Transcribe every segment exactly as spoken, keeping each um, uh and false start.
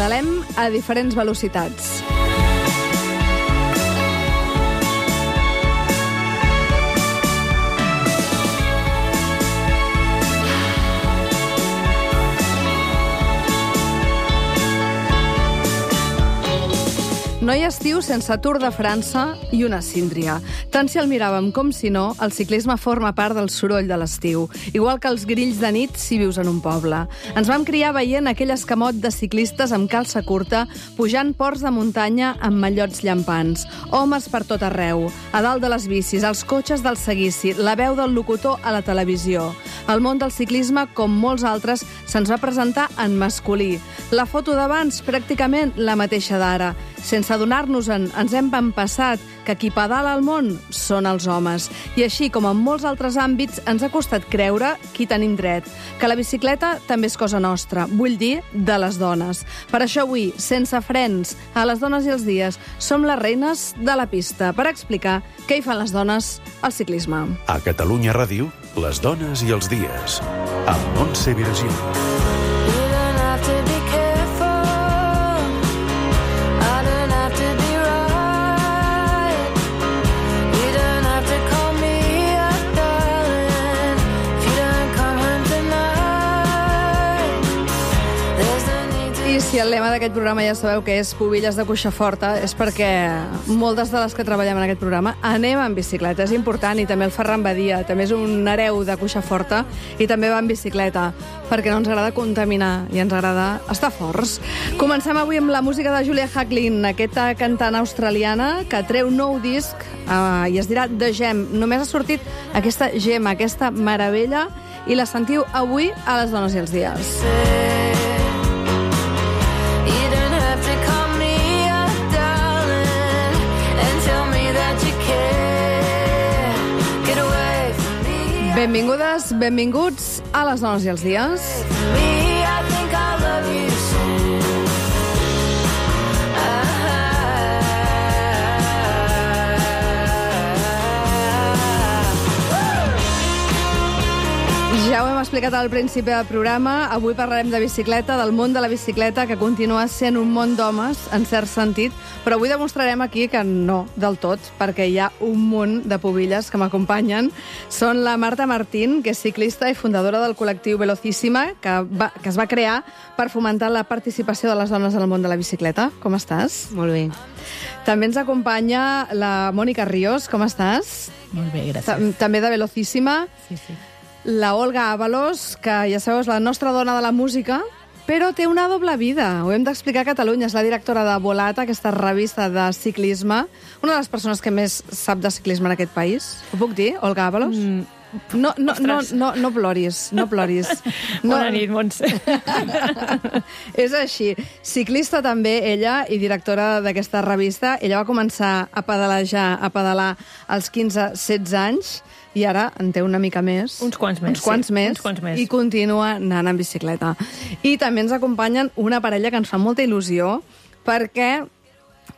pedalem a diferents velocitats. No hi ha estiu sense Tour de França i una síndria. Tant si el miràvem com si no, el ciclisme forma part del soroll de l'estiu, igual que els grills de nit si vius en un poble. Ens vam criar veient aquell escamot de ciclistes amb calça curta, pujant ports de muntanya amb mallots llampants, homes per tot arreu, a dalt de les bicis, els cotxes del seguici, la veu del locutor a la televisió. El món del ciclisme, com molts altres, se'ns va presentar en masculí. La foto d'abans, pràcticament la mateixa d'ara. Sense adonar-nos-en, ens hem empassat que qui pedala al món són els homes. I així, com en molts altres àmbits, ens ha costat creure qui tenim dret, que la bicicleta també és cosa nostra, vull dir, de les dones. Per això avui, sense frens, a les dones i els dies, som les reines de la pista per explicar què hi fan les dones al ciclisme. A Catalunya Ràdio, les dones i els dies, amb Montse Virgili. I si el lema d'aquest programa ja sabeu que és Pubilles de cuixa forta, és perquè moltes de les que treballem en aquest programa anem en bicicleta. És important, i també el Ferran Badia, també és un hereu de cuixa forta i també va en bicicleta, perquè no ens agrada contaminar i ens agrada estar forts. Comencem avui amb la música de Julia Hacklin, aquesta cantant australiana que treu nou disc eh, i es dirà The Gem. Només ha sortit aquesta gema, aquesta meravella, i la sentiu avui a les dones i els dies. Benvingudes, benvinguts a les dones i els dies. Ja ho hem explicat al principi del programa, avui parlarem de bicicleta, del món de la bicicleta, que continua sent un món d'homes, en cert sentit, però avui demostrarem aquí que no del tot, perquè hi ha un munt de pubilles que m'acompanyen. Són la Marta Martín, que és ciclista i fundadora del col·lectiu Velocíssima, que, va, que es va crear per fomentar la participació de les dones en el món de la bicicleta. Com estàs? Molt bé. També ens acompanya la Mònica Ríos. Com estàs? Molt bé, gràcies. També de Velocíssima. Sí, sí. La Olga Ábalos, que ja sabeu és la nostra dona de la música, però té una doble vida. Ho hem d'explicar a Catalunya. És la directora de Volata, aquesta revista de ciclisme. Una de les persones que més sap de ciclisme en aquest país. Ho puc dir, Olga Ábalos? Mm. No, no, no, no, no ploris, no ploris. No. Bona nit, Montse. És així. Ciclista també, ella, i directora d'aquesta revista. Ella va començar a pedalejar, a pedalar als quinze setze anys, i ara en té una mica més. Uns quants més, uns quants sí. més, Uns quants més. I continua anant en bicicleta. I també ens acompanyen una parella que ens fa molta il·lusió, perquè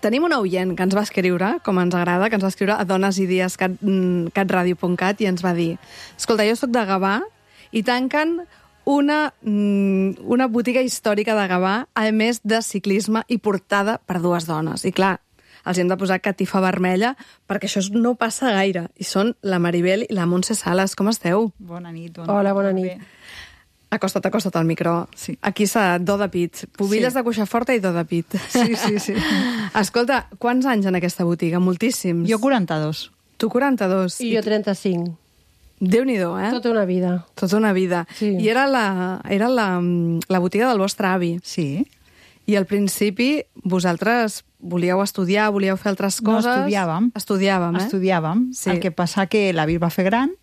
tenim una oient que ens va escriure, com ens agrada, que ens va escriure a donesidies cat radio punt cat i ens va dir: escolta, jo soc de Gavà i tanquen una, una botiga històrica de Gavà, a més de ciclisme i portada per dues dones. I clar, els hem de posar catifa vermella, perquè això no passa gaire. I són la Maribel i la Montse Sales. Com esteu? Bona nit. Bona Hola, bona nit. Bé. Acosta't, acosta't al micro. Sí. Aquí s'ha do de pit. Pubilles Sí. de cuixa forta i do de pit. Sí, sí, sí. Escolta, quants anys en aquesta botiga? Moltíssims. Jo quaranta-dos. Tu quaranta-dos. I jo trenta-cinc. Déu-n'hi-do, eh? Tota una vida. Tota una vida. Sí. I era, la, era la, la botiga del vostre avi. Sí. I al principi vosaltres volíeu estudiar, volíeu fer altres No, coses... estudiàvem. Estudiàvem, eh? Estudiàvem. Sí. El que passa que l'avi va fer gran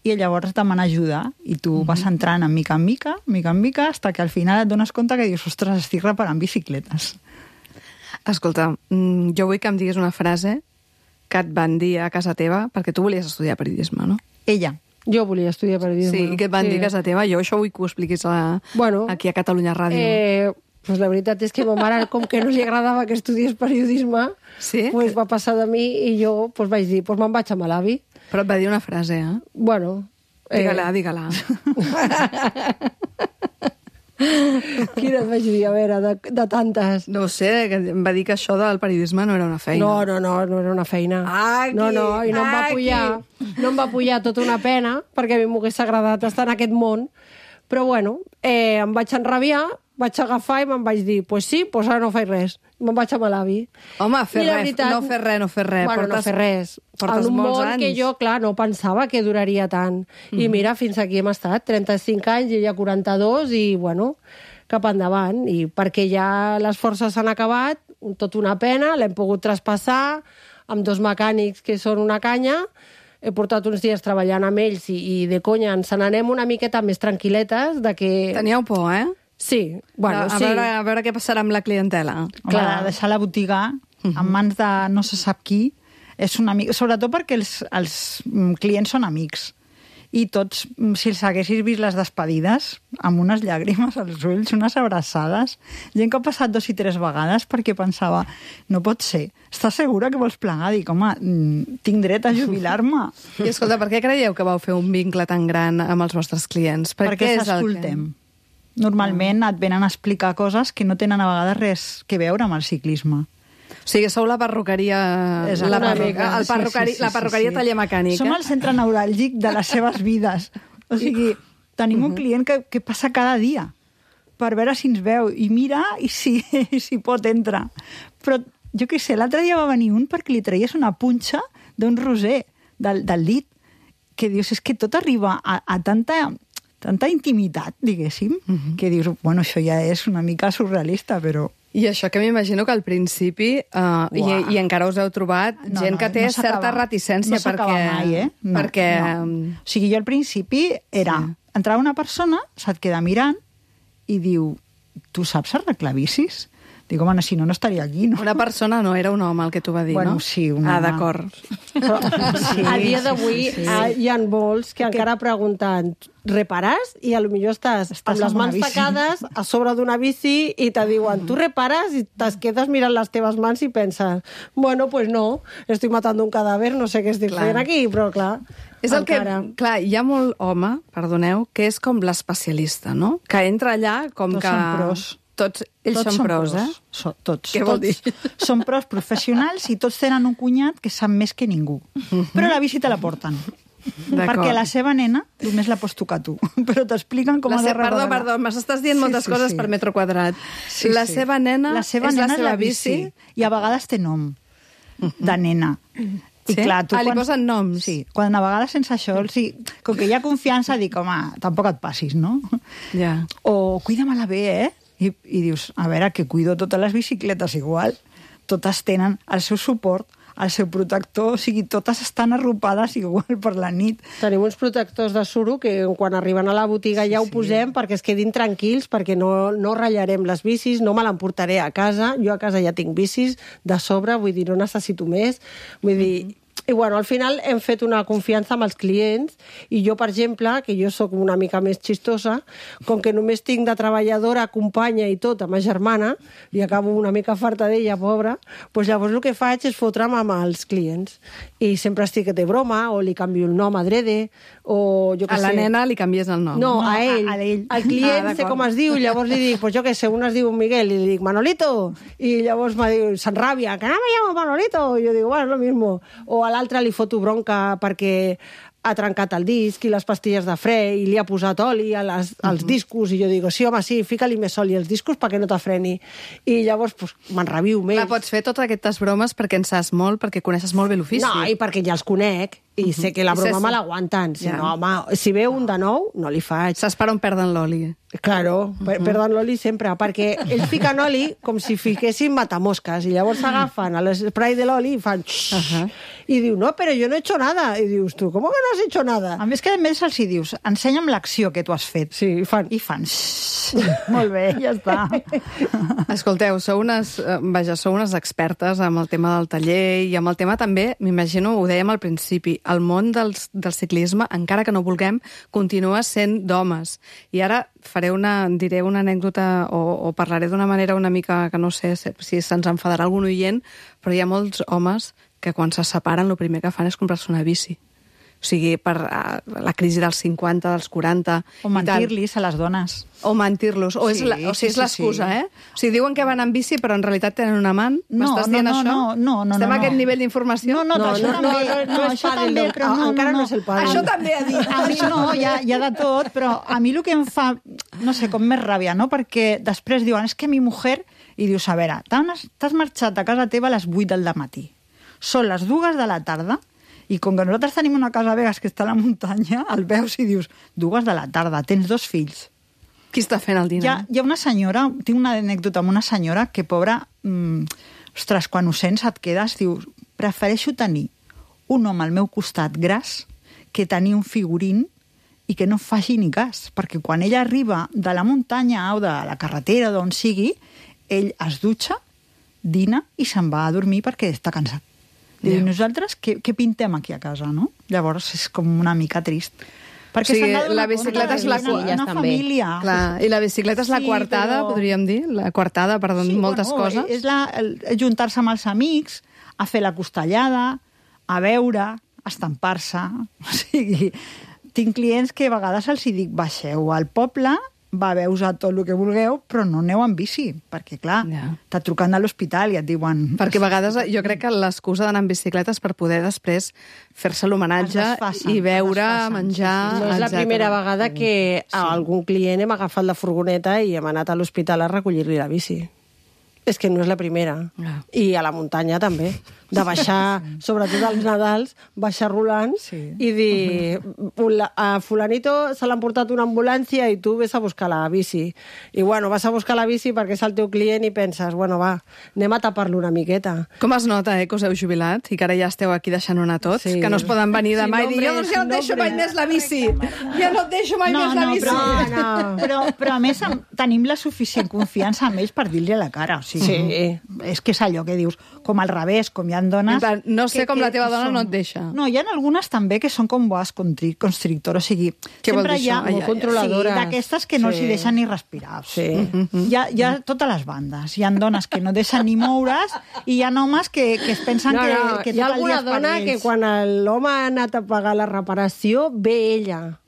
i llavors demana ajuda i tu Mhm. vas entrant en mica en mica, mica en mica, hasta que al final et dones compte que dius, ostres, estic reparant bicicletes. Escolta, mm, jo vull que em diguis una frase que et van dir a casa teva, perquè tu volies estudiar periodisme, no? Ella. Jo volia estudiar periodisme. Sí, i què et van dir a casa teva? Jo això vull que ho expliquis a, Bueno, aquí a Catalunya Ràdio. Eh, pues la veritat és que ma mare, com que no li agradava que estudiés periodisme, Sí? pues va passar de mi i jo pues vaig dir, pues me'n vaig amb l'avi. Però et va dir una frase, eh? Bueno... Digue-la, digue-la. Quina et vaig dir, a veure, de, de tantes. No ho sé, que em va dir que això del periodisme no era una feina. No, no, no, no era una feina. Aquí, no, no, i no em va aquí. pujar, no em va pujar tota una pena, perquè a mi m'hagués agradat estar en aquest món, però bueno, eh, em vaig enrabiar, vaig agafar i me'n vaig dir, pues sí, pues ara no faig res. Me'n vaig amb l'avi. Home, fer I la res, veritat- no fer res, no fer res. Bueno, no Portes- fer res. portes en un molts món anys. que jo, clar, no pensava que duraria tant. I mira, fins aquí hem estat, trenta-cinc anys, i ja quaranta-dos, i bueno, cap endavant. I perquè ja les forces s'han acabat, tot una pena, l'hem pogut traspassar amb dos mecànics que són una canya. He portat uns dies treballant amb ells i, i de conya ens n'anem una miqueta més tranquil·letes de que... Teníeu por, eh? Sí, bueno, a, sí. veure, a veure què passarà amb la clientela. Clar, Clar. deixar la botiga en mans de no se sap qui és una mica... Sobretot perquè els, els mm, clients són amics. I tots, mm, si els haguessis vist les despedides, amb unes llàgrimes als ulls, unes abraçades, gent que ha passat dos i tres vegades perquè pensava, no pot ser, estàs segura que vols plegar? Dic, home, mm, tinc dret a jubilar-me. I escolta, per què creieu que vau fer un vincle tan gran amb els vostres clients? Per perquè què és el s'escoltem. Normalment et venen a explicar coses que no tenen a vegades res que veure amb el ciclisme. O sigui, sou la perruqueria... Exacte. La, Una perruca, mica. el perrucari, Sí, sí, sí, la sí, perruqueria sí. taller mecànica. Som el centre neuràlgic de les seves vides. O sigui, tenim un client que, que passa cada dia per veure si ens veu i mira i si, si pot entrar. Però, jo què sé, l'altre dia va venir un perquè li traies una punxa d'un roser del, del dit, que dius, és que tot arriba a, a tanta, tanta intimitat, diguéssim, uh-huh. que dius, bueno, això ja és una mica surrealista, però... I això que m'imagino que al principi, uh, i, i encara us heu trobat, No, gent no, que té no s'acaba. certa reticència. No s'acaba perquè, mai, eh? No, perquè, no. O sigui, jo al principi era... Sí. Entrava una persona, se't queda mirant i diu, tu saps arreglar bicis? Dic, home, no, si no, no estaria aquí, no? Una persona no, era un home el que t'ho va dir, Bueno, no? sí, un Ah, home. d'acord. Sí, A dia d'avui sí, sí. ah, hi ha molts que encara pregunten repares? I a lo millor estàs, Estàs amb les amb una mans bici. tacades a sobre d'una bici i te diuen, tu repares? I te quedes mirant les teves mans i penses, bueno, pues no, estoy matando un cadàver, no sé què estic Clar. fent aquí, però clar, És el encara... que, clar, hi ha molt home, perdoneu, que és com l'especialista, no? Que entra allà com Tots que... són pros. Tots, ells Tots són pros, eh? So, tots. Què vol tots dir? Són pros professionals i tots tenen un cunyat que sap més que ningú. Però la bici te la porten. D'acord. Perquè la seva nena només la pots tocar tu. Però t'expliquen com La ha de se... Perdó, revelar. perdó, m'estàs dient Sí, moltes sí, coses sí. per metro quadrat. Sí, la sí. seva nena la seva és nena la seva bici. I a vegades té nom de nena. I Sí? clar, tu Ah, li quan... posen noms? Sí, quan a vegades sense això, o sigui, com que hi ha confiança, dic, home, tampoc et passis, no? Ja. O cuida-me-la bé, eh? I, I dius, a veure, que cuido totes les bicicletes igual. Totes tenen el seu suport, el seu protector, o sigui, totes estan arropades igual per la nit. Tenim uns protectors de suro que quan arriben a la botiga ja ho sí. posem perquè es quedin tranquils, perquè no, no ratllarem les bicis, no me l'emportaré a casa. Jo a casa ja tinc bicis de sobre, vull dir, no necessito més. Vull dir... I bueno, al final hem fet una confiança amb els clients i jo, per exemple, que jo sóc una mica més xistosa, com que només tinc de treballadora, companya i tot, a ma germana, i acabo una mica farta d'ella, pobra, doncs llavors el que faig és fotre'm amb els clients. I sempre estic de broma, o li canvio el nom adrede, o jo què A la sé. nena li canvies el nom. No, No, a ell. a- a ell. Al client Ah, sé d'acord. com es diu, i llavors li dic, pues jo què sé, un es diu Miguel, i li dic, Manolito, i llavors me diu, s'enràbia, que no me llamo Manolito, i jo dic, bueno, és lo mismo. O a l'altre li foto bronca perquè ha trencat el disc i les pastilles de fre i li ha posat oli a les, als discos, i jo dic, sí, home, sí, fica-li més oli als discos perquè no t'afreni. I llavors pues, m'enraviu més. Clar, pots fer totes aquestes bromes perquè en saps molt, perquè coneixes molt bé l'ofici. No, i perquè ja els conec, i sé que la I broma saps- me l'aguanten. Si Ja. no, home, si ve un de nou, no li faig. Saps per on perden l'oli. Claro, per, perden l'oli sempre, perquè ells fiquen oli com si fiquessin matamosques, i llavors s'agafen a l'esprai de l'oli i fan... Uh -huh. I diu, no, però jo no he hecho nada. I dius, tu, com que no has hecho nada? A més que a més els hi dius, ensenya'm l'acció que tu has fet. Sí, i fan... I fan... Molt bé, ja està. Escolteu, sou unes, eh, vaja, sou unes expertes amb el tema del taller i amb el tema també, m'imagino, ho dèiem al principi, el món dels, del ciclisme, encara que no vulguem, continua sent d'homes. I ara faré una, diré una anècdota o, o parlaré d'una manera una mica que no sé si se'ns enfadarà algun oient, però hi ha molts homes que quan se separen el primer que fan és comprar-se una bici. O sigui, per uh, la crisi dels cinquanta, dels quaranta... O mentir-los a les dones. O mentir-los. O, Sí, és la, o sigui, sí, és l'excusa, sí, sí. eh? O sigui, diuen que van en bici, però en realitat tenen un amant? No, M'estàs no, dient no, això? no, no, no, Estem no. a aquest nivell d'informació? No, no, No, això no, també, no, no, no és això pàdel, també, no. però no, Encara no, no és el pàdel. Això també ha dit. A mi no, hi ha, hi ha de tot, però a mi el que em fa, no sé, com més ràbia, no? Perquè després diuen, és que mi mujer... I dius, a veure, t'has marxat a casa teva a les vuit del matí. Són les dues de la tarda, i com que nosaltres tenim una casa a Vegas que està a la muntanya, el veus i dius, dues de la tarda, tens dos fills. Qui està fent el dinar? Hi ha, hi ha una senyora, tinc una anècdota amb una senyora que, pobra, mmm, ostres, quan ho sents et quedes, dius, prefereixo tenir un home al meu costat gras que tenir un figurín i que no faci ni cas, perquè quan ella arriba de la muntanya o de la carretera, d'on sigui, ell es dutxa, dina i se'n va a dormir perquè està cansat. Diu, Ja. nosaltres què, què pintem aquí a casa, no? Llavors és com una mica trist. Perquè O sigui, s'han de donar la compte bicicleta que és la viuen en cua- una també. família. Clar, i la bicicleta és la Sí, coartada, però- podríem dir? La coartada, perdó, Sí, moltes bueno, coses. És la, el, juntar-se amb els amics, a fer la costellada, a beure, a estampar-se. O sigui, tinc clients que a vegades els hi dic, baixeu al poble, beveu a tot el que vulgueu, però no aneu en bici, perquè, clar, Ja. t'ha trucat a l'hospital i et diuen... Perquè a vegades jo crec que l'excusa d'anar en bicicleta és per poder després fer-se l'homenatge Es desfacen, i beure, es desfacen, menjar... sí, sí. No és la etcètera. primera vegada que a algun client hem agafat la furgoneta i hem anat a l'hospital a recollir-li la bici. És que no és la primera. Ah. I a la muntanya també. De baixar, sobretot als Nadals, baixar rolant Sí. i dir "Fula- a fulanito se l'han portat una ambulància i tu ves a buscar la bici. I bueno, vas a buscar la bici perquè és el teu client i penses, bueno, va, anem a tapar-lo una miqueta. Com es nota, eh, que us heu jubilat i que ara ja esteu aquí deixant una tots, Sí. que no es poden venir Sí, demà i dir, jo nombres, doncs ja no et deixo mai nombres. més la bici, ja no et deixo mai No, més la no, bici. però, No, no. però, però a més am- tenim la suficient confiança amb ells per dir-li a la cara. O sigui, Sí. És que és allò que dius, com al revés, com hi ha dones... En plan, no sé que- com que la teva dona són- no et deixa. No, hi ha algunes també que són com boas contri- constrictor, o sigui, Què vol sempre dir hi ha... això? Ai, ai, ai. Controladores. Sí, d'aquestes que no Sí. els hi deixen ni respirar. O sigui, Sí. hi, ha, hi ha totes les bandes. Hi ha dones que no deixen ni moure's i hi ha homes que, que es pensen No, que, no, que hi ha tot el dia alguna és per dona que ells. quan l'home ha anat a pagar la reparació, ve ella.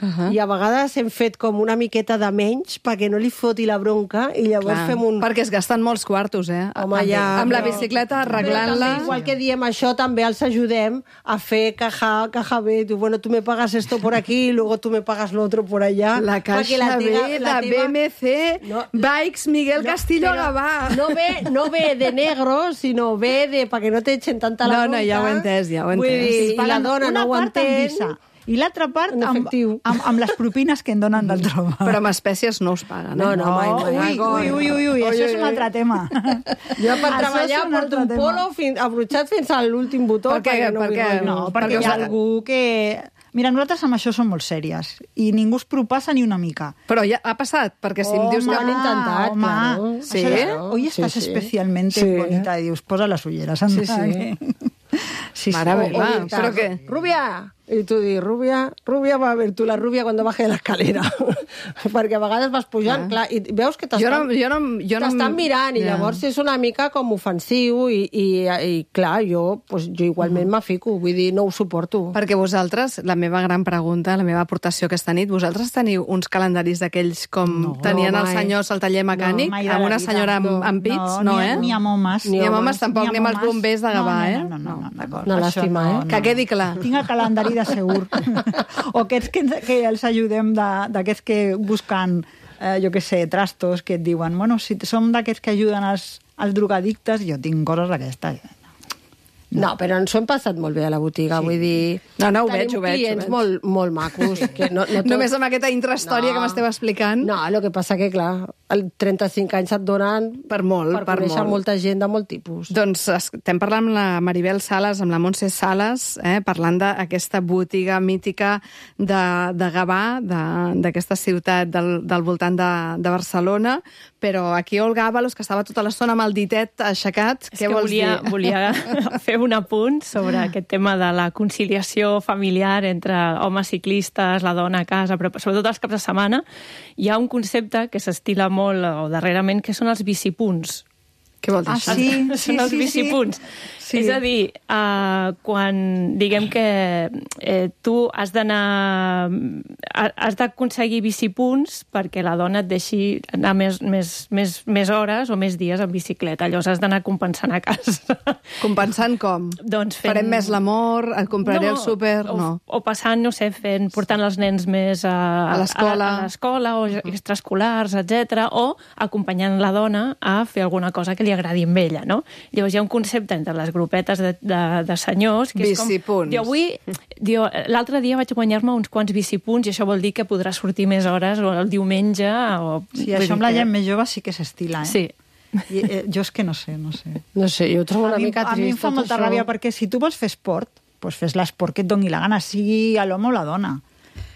Uh -huh. I a vegades hem fet com una miqueta de menys perquè no li foti la bronca i llavors Clar, fem un... perquè es gasten molts quartos, eh? Home, amb, ja, amb la però- bicicleta, Però arreglant-la... també, igual que diem això, també els ajudem a fer caja, caja B. Tu, bueno, tú me pagas esto por aquí y luego tú me pagas lo otro por allá. La Perquè caixa teva- B la de teva- B M C, No, Bikes Miguel No, Castillo però Gavà. No ve, no ve de negro, sinó ve de perquè no t'echen tanta la No, bronca. no, ja ho he entès, ja ho he Vull entès. dir, Sí, I la paguen dona una no ho part en entén. visa i l'altra part En amb, efectiu. amb, amb les propines que em donen del trobar. Però amb espècies no us paguen, eh? No, no, mai, mai. Ui, ui, ui, ui, ui, això és un altre tema. Jo per Això treballar és un porto altre un tema. polo fins, abrutxat fins a l'últim botó. Per què? perquè no Per vull què? rotllo. No, perquè Perquè hi ha us- algú que... Mira, nosaltres amb això som molt sèries i ningú es propassa ni una mica. Però ja ha passat, perquè si em dius Home, que... han intentat, home. claro. Sí? Això, hoy estás Sí, sí. especialmente Sí. bonita. I dius, posa les ulleres. Sí, sí. sí, Mare sí. meva. O Va, gritar, ¿pero qué? Rubia! I tu dius, Rubia, Rubia va a ver tu la Rubia quan baje de l'escalera. Perquè a vegades vas pujant, clar, i veus que Jo t'estan no, jo no, jo no... t'estan mirant, i Ja. llavors és una mica com ofensiu, i, i, i clar, jo, pues, jo igualment m'afico, vull dir, no ho suporto. Perquè vosaltres, la meva gran pregunta, la meva aportació aquesta nit, vosaltres teniu uns calendaris d'aquells com No. tenien No, els mai. senyors al taller mecànic, mai de amb la una vida. senyora amb, No. amb pits, no, no, eh? Ni amb homes. Ni amb homes tampoc, ni amb els homes. bombers de Gavà, no, eh? No, no, no, no, d'acord. Una Això llàstima, no, eh? no. Que quedi clar. Tinc el calendari de segur. O aquests que, ens- que els ajudem, de- d'aquests que busquen, eh, jo què sé, trastos, que et diuen, bueno, si som d'aquests que ajuden els, els drogadictes, jo tinc coses d'aquestes. No, però ens ho hem passat molt bé a la botiga, Sí. vull dir... No, no, ho tenim veig, ho veig, ho clients veig. molt, molt macos. Que no, no tot... Només amb aquesta intrahistòria No. que m'esteu explicant. No, el que passa que, clar, el trenta-cinc anys et donen Per molt, per, per conèixer molt. molta gent de molt tipus. Doncs estem parlant amb la Maribel Sales, amb la Montse Sales, eh, parlant d'aquesta botiga mítica de, de Gavà, de- d'aquesta ciutat del, del voltant de, de Barcelona, però aquí Olga Ábalos, que estava tota l'estona amb el ditet aixecat, És què que vols volia, dir? volia fer un apunt sobre aquest tema de la conciliació familiar entre homes ciclistes, la dona a casa, però sobretot els caps de setmana. Hi ha un concepte que s'estila molt o darrerament, que són els bicipunts. Què vol dir Ah, això? sí, Són sí, els sí, bicipunts. sí. És a dir, uh, quan diguem que eh, tu has d'anar... has d'aconseguir bicipunts perquè la dona et deixi anar més, més, més, més hores o més dies en bicicleta. Llavors has d'anar compensant a casa. Compensant com? Doncs fent... Farem més l'amor, et compraré el súper... O, No. o passant, no sé, fent, portant els nens més a, A l'escola. a, a l'escola o extraescolars, etcètera, o acompanyant la dona a fer alguna cosa que li agradi amb ella, no? Llavors hi ha un concepte entre les grupetes de, de, de senyors que és com... Bicipunts. Diu, avui... Diu, l'altre dia vaig guanyar-me uns quants bicipunts i això vol dir que podrà sortir més hores o el diumenge o... Sí, vull això dir amb la que- gent més jove sí que s'estila, eh? Sí. I, eh, jo és que no sé, no sé. No sé, jo ho trobo una a mi, mica a mi trist. em fa tot molta això. ràbia perquè si tu vols fer esport, doncs fes l'esport que et doni la gana, sigui a l'home o la dona.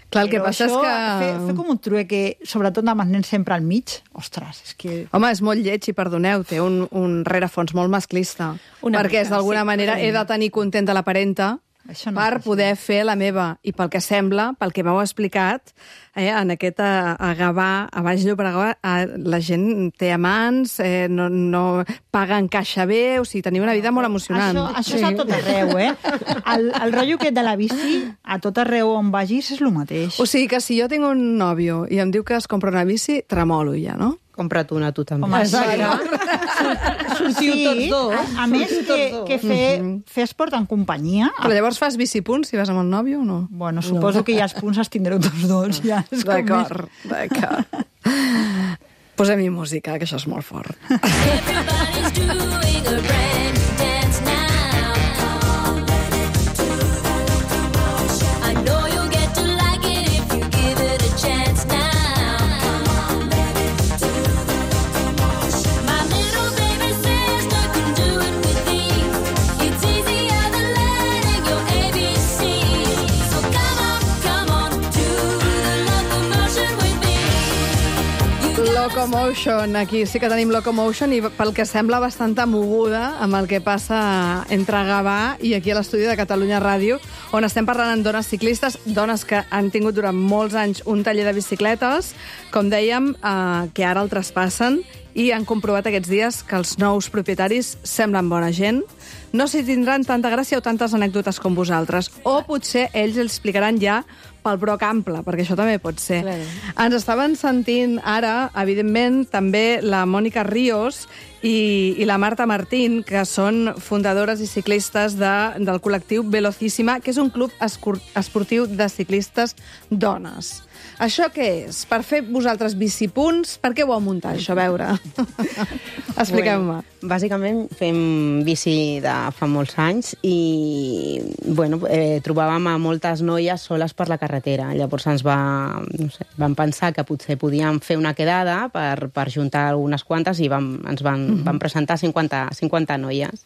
Clar, el que Però passa és això, que... Fer, fer com un trueque, sobretot amb els nens sempre al mig, ostres, és que... Home, és molt lleig, i perdoneu, té un, un rerefons molt masclista. Una perquè és mica, d'alguna sí. manera he de tenir contenta la parenta Això no per és poder fer la meva. I pel que sembla, pel que m'heu explicat, eh, en aquest a, a Gavà, a Baix Llobregat, eh, la gent té amants, eh, no, no paguen caixa bé, o sigui, teniu una vida molt emocionant. Això, això és a tot arreu, eh? El, el rotllo aquest de la bici, a tot arreu on vagis, és el mateix. O sigui que si jo tinc un nòvio i em diu que es compra una bici, tremolo ja, no? Compra't una, tu també. Home, Exacte. Sortiu tots dos. A, a més Sortiu que, tots dos. que fer, fer esport en companyia... Però llavors fas bicipunts si vas amb el nòvio o no? Bueno, suposo que ja els punts els tindreu tots dos. Ja és com D'acord, d'acord. Posem-hi música, que això és molt fort. Everybody's doing a brand new dance now. I know you'll get to like it if you give it a chance now. My little baby sister can do it with ease. It's easier than learning your A B C. So come on, come on, do the locomotion with me. Locomotion, aquí sí que tenim Locomotion i pel que sembla bastanta moguda amb el que passa entre Gavà i aquí a l'estudi de Catalunya Ràdio, on estem parlant amb dones ciclistes, dones que han tingut durant molts anys un taller de bicicletes, com dèiem, eh, que ara el traspassen i han comprovat aquests dies que els nous propietaris semblen bona gent. No s'hi tindran tanta gràcia o tantes anècdotes com vosaltres. O potser ells els explicaran ja pel broc ample, perquè això també pot ser. Clar. Ens estaven sentint ara, evidentment, també la Mònica Ríos i, i la Marta Martín, que són fundadores i ciclistes de, del col·lectiu Velocíssima, que és un club escur, esportiu de ciclistes dones. Això què és? Per fer vosaltres bicipunts? Per què ho vau muntar, això? A veure. Expliqueu-me. Bàsicament fem bici de fa molts anys i bueno, eh, trobàvem a moltes noies soles per la carretera. Llavors ens va, no sé, vam pensar que potser podíem fer una quedada per, per juntar algunes quantes i vam, ens van, mm -hmm. van presentar cinquanta, cinquanta noies.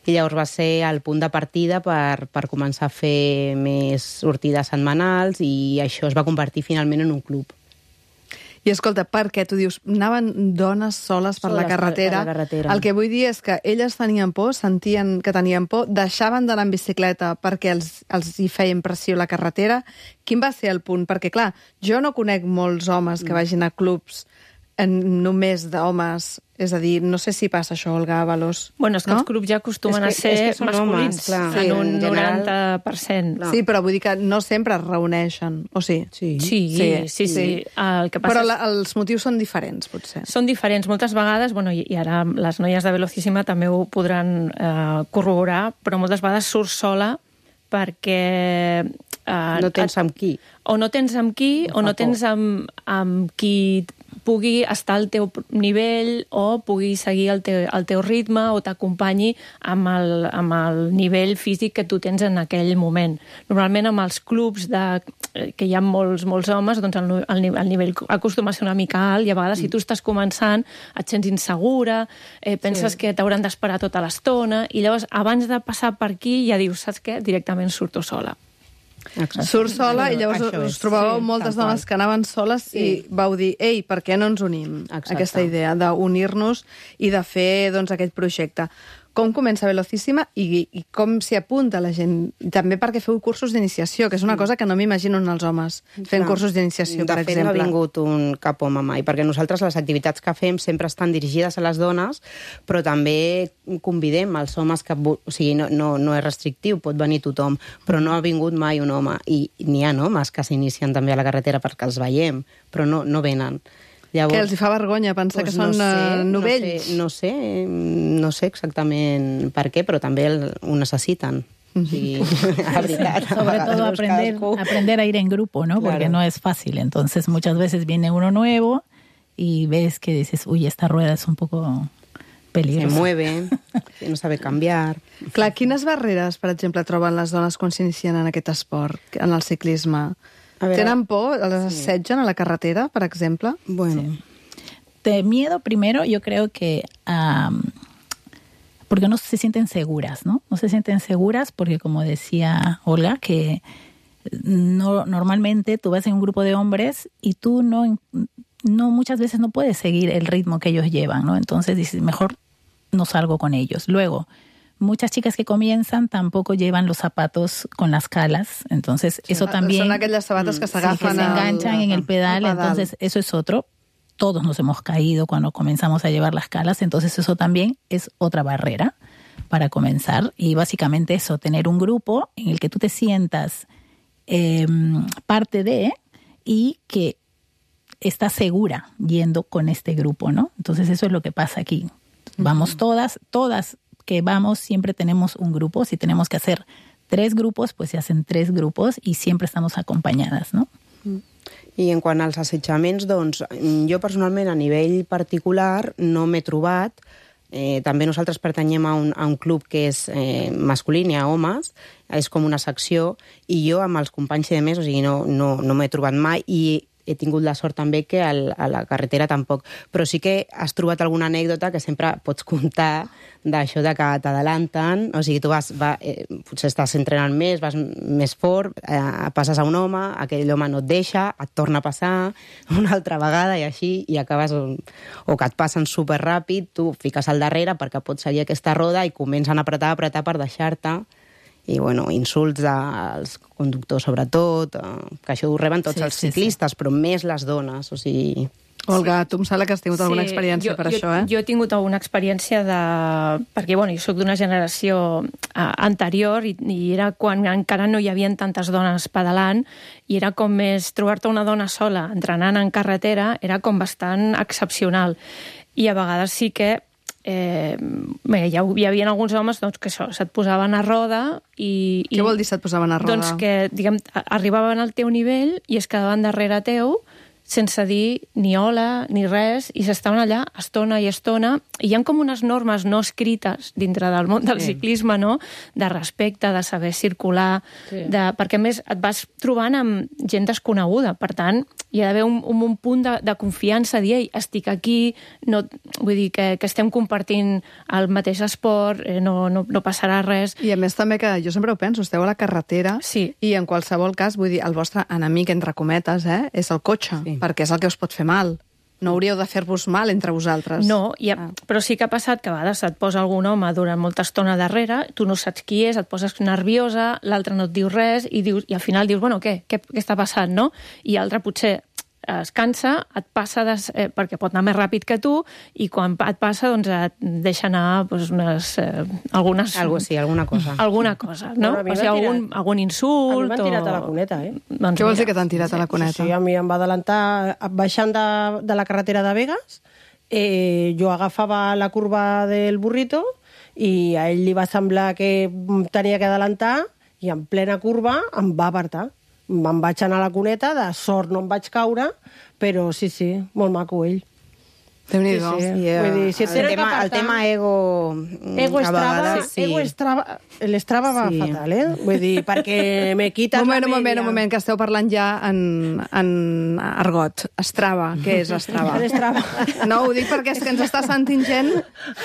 I llavors va ser el punt de partida per, per començar a fer més sortides setmanals i això es va convertir finalment en un club. I escolta, per què tu dius, anaven dones soles per Soles la per- carretera? per la carretera. El que vull dir és que elles tenien por, sentien que tenien por, deixaven d'anar en bicicleta perquè els, els hi feia impressió la carretera. Quin va ser el punt? Perquè, clar, jo no conec molts homes que vagin a clubs en, només d'homes. És a dir, no sé si passa això, Olga Avalos. Bueno, és que no? els clubs ja acostumen És que- a és ser que són masculins, homes, clar. en Sí, un en general. noranta per cent. Clar. Sí, però vull dir que no sempre es reuneixen, o sí? Sí. Sí, sí, sí. sí. sí. El que passa Però és... la, els motius són diferents, potser. Són diferents. Moltes vegades, bueno, i i ara les noies de Velocíssima també ho podran eh, corroborar, però moltes vegades surts sola perquè... Eh, No tens amb qui. O no tens amb qui, o fa no tens por. amb, amb qui pugui estar al teu nivell o pugui seguir el teu, el teu ritme o t'acompanyi amb, el, amb el nivell físic que tu tens en aquell moment. Normalment amb els clubs de, que hi ha molts, molts homes, doncs el, el, el nivell acostuma a ser una mica alt i a vegades si tu estàs començant et sents insegura, eh, penses sí. que t'hauran d'esperar tota l'estona i llavors abans de passar per aquí ja dius, saps què? Directament surto sola. Exacte. Surt sola i llavors Això us és. trobàveu Sí, moltes tal dones qual. que anaven soles sí. i vau dir, ei, per què no ens unim? Exacte. Aquesta idea d'unir-nos i de fer doncs, aquest projecte. Com comença Velocíssima i, i com s'hi apunta la gent? També perquè feu cursos d'iniciació, que és una cosa que no m'imagino en els homes, fent Clar. cursos d'iniciació, per De fet, exemple. no ha vingut un cap home mai, perquè nosaltres les activitats que fem sempre estan dirigides a les dones, però també convidem els homes que... O sigui, no, no, no és restrictiu, pot venir tothom, però no ha vingut mai un home. I n'hi ha homes que s'inicien també a la carretera perquè els veiem, però no, no venen. Llavors, Que els hi fa vergonya pensar doncs que són no sé, eh, novells. No sé, no sé, no sé exactament per què, però també el, ho necessiten. O sigui, la veritat. a Sobre vegades todo veus aprender, cadascú. aprender a ir en grupo, ¿no? Porque Claro. no es fácil. Entonces, muchas veces viene uno nuevo y ves que dices, uy, esta rueda es un poco Se peligrosa. mueve, no sabe canviar. Clar, quines barreres, per exemple, troben les dones quan s'inicien en aquest esport, en el ciclisme? A veure, Tenen por? Les assetgen a la carretera, per exemple? Bueno, De miedo, primero, yo creo que... am, porque no se sienten seguras, ¿no? No se sienten seguras porque, como decía Olga, que no, normalmente tú vas en un grupo de hombres y tú no, no muchas veces no puedes seguir el ritmo que ellos llevan, ¿no? Entonces dices, mejor no salgo con ellos. Luego, muchas chicas que comienzan tampoco llevan los zapatos con las calas, entonces eso también... Són aquelles sabates que Sí, que s'agafen se enganchan en el pedal, al pedal. entonces eso es otro. Todos nos hemos caído cuando comenzamos a llevar las calas, entonces eso también es otra barrera para comenzar. Y básicamente eso, tener un grupo en el que tú te sientas eh, parte de y que estás segura yendo con este grupo, ¿no? Entonces eso es lo que pasa aquí. Vamos todas, todas que vamos, siempre tenemos un grupo. Si tenemos que hacer tres grupos, pues se hacen tres grupos y siempre estamos acompañadas, ¿no? i en quant als assetjaments, doncs, jo personalment a nivell particular no m'he trobat. Eh, també nosaltres pertanyem a un, a un club que és eh, masculí, n'hi ha homes, és com una secció, i jo amb els companys i de més, o sigui, no, no, no m'he trobat mai, i he tingut la sort també que al, a la carretera tampoc. Però sí que has trobat alguna anècdota que sempre pots contar d'això de que t'adalanten, o sigui, tu vas, va, eh, potser estàs entrenant més, vas més fort, eh, passes a un home, aquell home no et deixa, et torna a passar una altra vegada i així, i acabes, o, o que et passen superràpid, tu fiques al darrere perquè pots seguir aquesta roda i comencen a apretar, a apretar per deixar-te. I, bueno, insults als conductors, sobretot, eh, que això ho reben tots Sí, els sí, ciclistes, però més les dones, o sigui... Olga, tu em sembla que has tingut alguna experiència jo, per jo, això, eh? Jo he tingut alguna experiència de... Perquè, bueno, jo soc d'una generació uh, anterior i, i era quan encara no hi havia tantes dones pedalant i era com més... Trobar-te una dona sola entrenant en carretera era com bastant excepcional. I a vegades sí que Eh, bé, hi, hi havia alguns homes doncs, que això, se't posaven a roda i... Què i, vol dir se't posaven a roda? Doncs que, diguem, arribaven al teu nivell i es quedaven darrere teu sense dir ni hola ni res i s'estaven allà estona i estona i hi ha com unes normes no escrites dintre del món del Sí. ciclisme, no? De respecte, de saber circular, Sí. de, perquè a més et vas trobant amb gent desconeguda, per tant hi ha d'haver un, un, un punt de, de confiança, dir, ei, estic aquí, no, vull dir que, que estem compartint el mateix esport, eh, no, no, no passarà res. I a més també que jo sempre ho penso, esteu a la carretera Sí. i en qualsevol cas, vull dir, el vostre enemic, entre cometes, eh, és el cotxe, Sí. perquè és el que us pot fer mal. No hauríeu de fer-vos mal entre vosaltres. No, i, Ah. però sí que ha passat que a vegades et posa algun home durant molta estona darrere, tu no saps qui és, et poses nerviosa, l'altre no et diu res, i, dius, i al final dius, bueno, què? Què, què està passant, no? I l'altre potser es cansa, et passa des, eh, perquè pot anar més ràpid que tu i quan et passa doncs et deixa anar doncs, unes, eh, algunes... Algo sí, alguna cosa. Alguna cosa, no? Bueno, a mi o sigui, m'han algun, tirat- algun A mi insult m'han tirat a la cuneta, eh? Doncs Què vols dir mira, que t'han tirat a la cuneta? Sí, a mi em va adelantar baixant de, de la carretera de Vegas. Eh, jo agafava la curva del burrito i a ell li va semblar que tenia que adelantar i en plena curva em va apartar. Me'n vaig anar a la cuneta, de sort no em vaig caure, però sí, sí, molt maco ell. Déu-n'hi-do. Sí, sí. I, eh, Vull dir, si et el, tenen tema, que el apartar- tema ego, mm, Ego a Strava, vegades sí. ego Strava, l'Strava va Sí. fatal, eh? Vull dir, perquè me quites Un moment, la un moment, media. un moment, que esteu parlant ja en, en argot. Strava, què és Strava? L'Strava. No, ho dic perquè és que ens està sentint gent...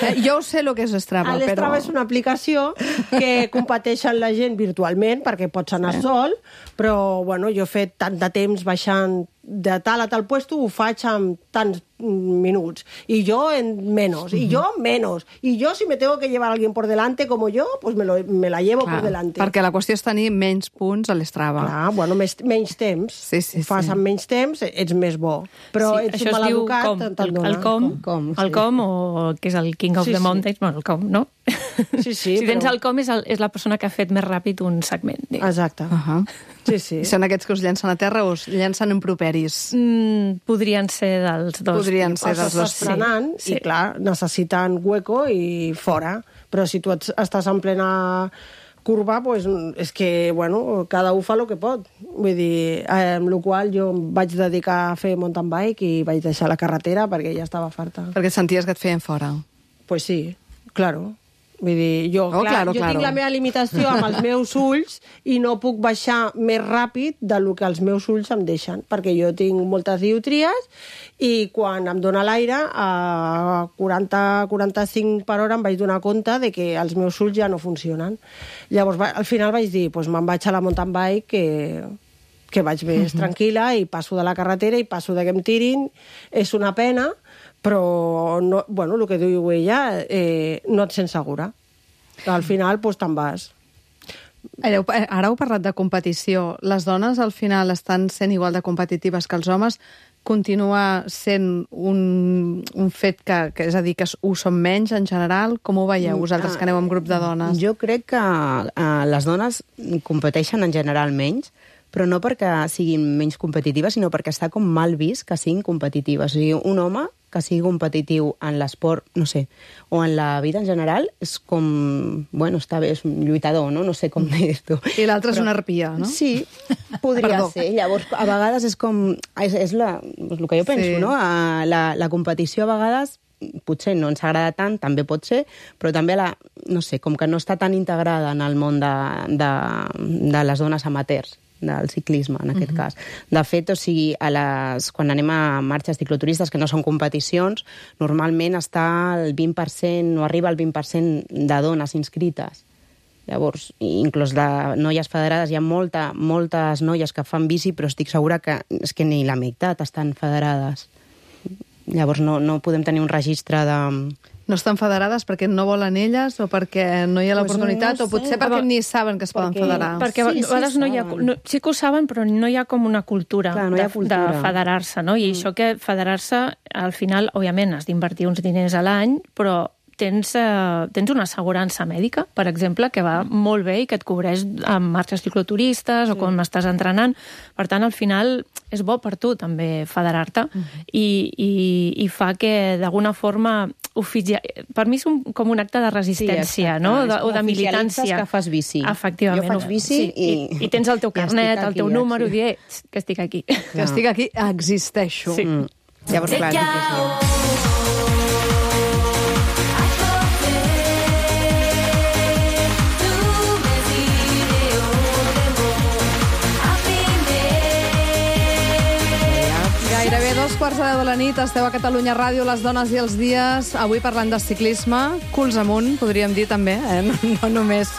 Eh, jo ho sé el que és Strava, però... L'Strava és una aplicació que competeixen la gent virtualment perquè pots anar sol, però bueno, jo he fet tant de temps baixant de tal a tal puesto, ho faig amb tants minuts, y yo en menos, y yo menos, y yo si me tengo que llevar a alguien por delante como yo, pues me, lo, me la llevo Clar, por delante. perquè la qüestió és tenir menys punts a l'Strava. Clar, bueno, més, menys temps. Sí, sí, Ho fas sí. amb menys temps, ets més bo. Però sí, ets això es diu maleducat, com, te'n el, dona. el com, Com, el sí. com, o que és el King of Sí, the sí. Mountains, bueno, el com, no? Sí, sí, si tens però- el com és, el, és la persona que ha fet més ràpid un segment. diguem. Exacte. Uh -huh. Sí, sí. I són aquests que us llencen a terra o us llencen improperis? Mm, podrien ser dels dos. Podrien ser dels dos, Estàs frenant sí. i, clar, necessiten hueco i fora. Però si tu ets, estàs en plena curva, pues, és que, bueno, cada un fa el que pot. Vull dir, eh, amb la qual jo em vaig dedicar a fer mountain bike i vaig deixar la carretera perquè ja estava farta. Perquè senties que et feien fora. Pues sí, claro. Vull dir, jo, Oh, clar, claro, jo claro. tinc la meva limitació amb els meus ulls i no puc baixar més ràpid del que els meus ulls em deixen, perquè jo tinc moltes dioptries i quan em dóna l'aire a quaranta a quaranta-cinc per hora em vaig donar compte de que els meus ulls ja no funcionen. Llavors, va, al final vaig dir, pues, me'n vaig a la mountain bike que, que vaig més tranquil·la i passo de la carretera i passo de que em tirin. És una pena, però, no, bueno, el que diu ella, eh, no et sents segura. Al final, doncs, te'n vas. Ara, ara heu parlat de competició. Les dones, al final, estan sent igual de competitives que els homes? Continua sent un, un fet que, que, és a dir, que ho són menys en general? Com ho veieu, vosaltres, que aneu en grup de dones? Jo crec que uh, les dones competeixen en general menys, però no perquè siguin menys competitives, sinó perquè està com mal vist que siguin competitives. O sigui, un home que sigui competitiu en l'esport, no sé, o en la vida en general, és com... Bueno, està bé, és un lluitador, no? No sé com dir-ho. I l'altre és una arpia, no? Sí, podria Perdó. ser. Llavors, a vegades és com... És, és, la, és el que jo penso, Sí. no? A la, la competició a vegades potser no ens agrada tant, també pot ser, però també la, no sé, com que no està tan integrada en el món de, de, de les dones amateurs, del ciclisme, en aquest uh-huh. cas. De fet, o sigui, a les, quan anem a marxes cicloturistes, que no són competicions, normalment està el vint per cent, o arriba al vint per cent de dones inscrites. Llavors, inclús de noies federades, hi ha molta, moltes noies que fan bici, però estic segura que és que ni la meitat estan federades. Llavors no, no podem tenir un registre de... No estan federades perquè no volen elles o perquè no hi ha Pues l'oportunitat no o potser sé. perquè ni saben que es poden Perquè- federar. Perquè a Sí, sí, vegades no hi ha... saben. No, sí que ho saben, però no hi ha com una cultura, Clar, no hi ha de, cultura. de federar-se, no? I mm. això que federar-se, al final, òbviament, has d'invertir uns diners a l'any, però tens, eh, tens una assegurança mèdica, per exemple, que va molt bé i que et cobreix amb marxes cicloturistes sí. o quan estàs entrenant. Per tant, al final, és bo per tu també federar-te mm. i, i, i fa que, d'alguna forma, oficia... per mi és un, com un acte de resistència, exacte. no? És De, com o de oficialitzes militància. que fas bici. Efectivament. Jo faig bici sí. i- I, I tens el teu i estic carnet, el aquí, teu ja, número, sí. i dir, eh, que estic aquí. Que estic aquí, existeixo. Sí. Mm. Llavors, clar, sí que sí. Gairebé dos quarts de deu de la nit, esteu a Catalunya Ràdio, les dones i els dies, avui parlant de ciclisme, culs amunt, podríem dir també, eh? no, no només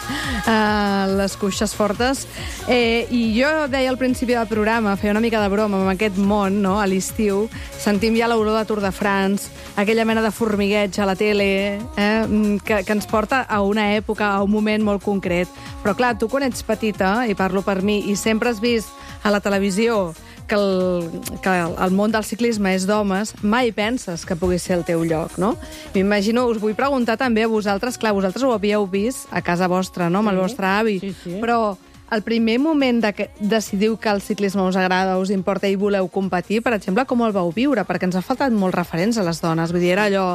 eh, les cuixes fortes. Eh, I jo deia al principi del programa, feia una mica de broma amb aquest món, no? A l'estiu, sentim ja l'olor de Tour de France, aquella mena de formigueig a la tele, eh? que, que ens porta a una època, a un moment molt concret. Però clar, tu quan ets petita, i parlo per mi, i sempre has vist a la televisió que el, que el món del ciclisme és d'homes, mai penses que pugui ser el teu lloc, no? M'imagino, us vull preguntar també a vosaltres, clar, vosaltres ho havíeu vist a casa vostra, no?, amb el vostre avi, Sí, sí. però el primer moment de que decidiu que el ciclisme us agrada, us importa i voleu competir, per exemple, com el vau viure? Perquè ens ha faltat molts referents a les dones. Vull dir, era allò,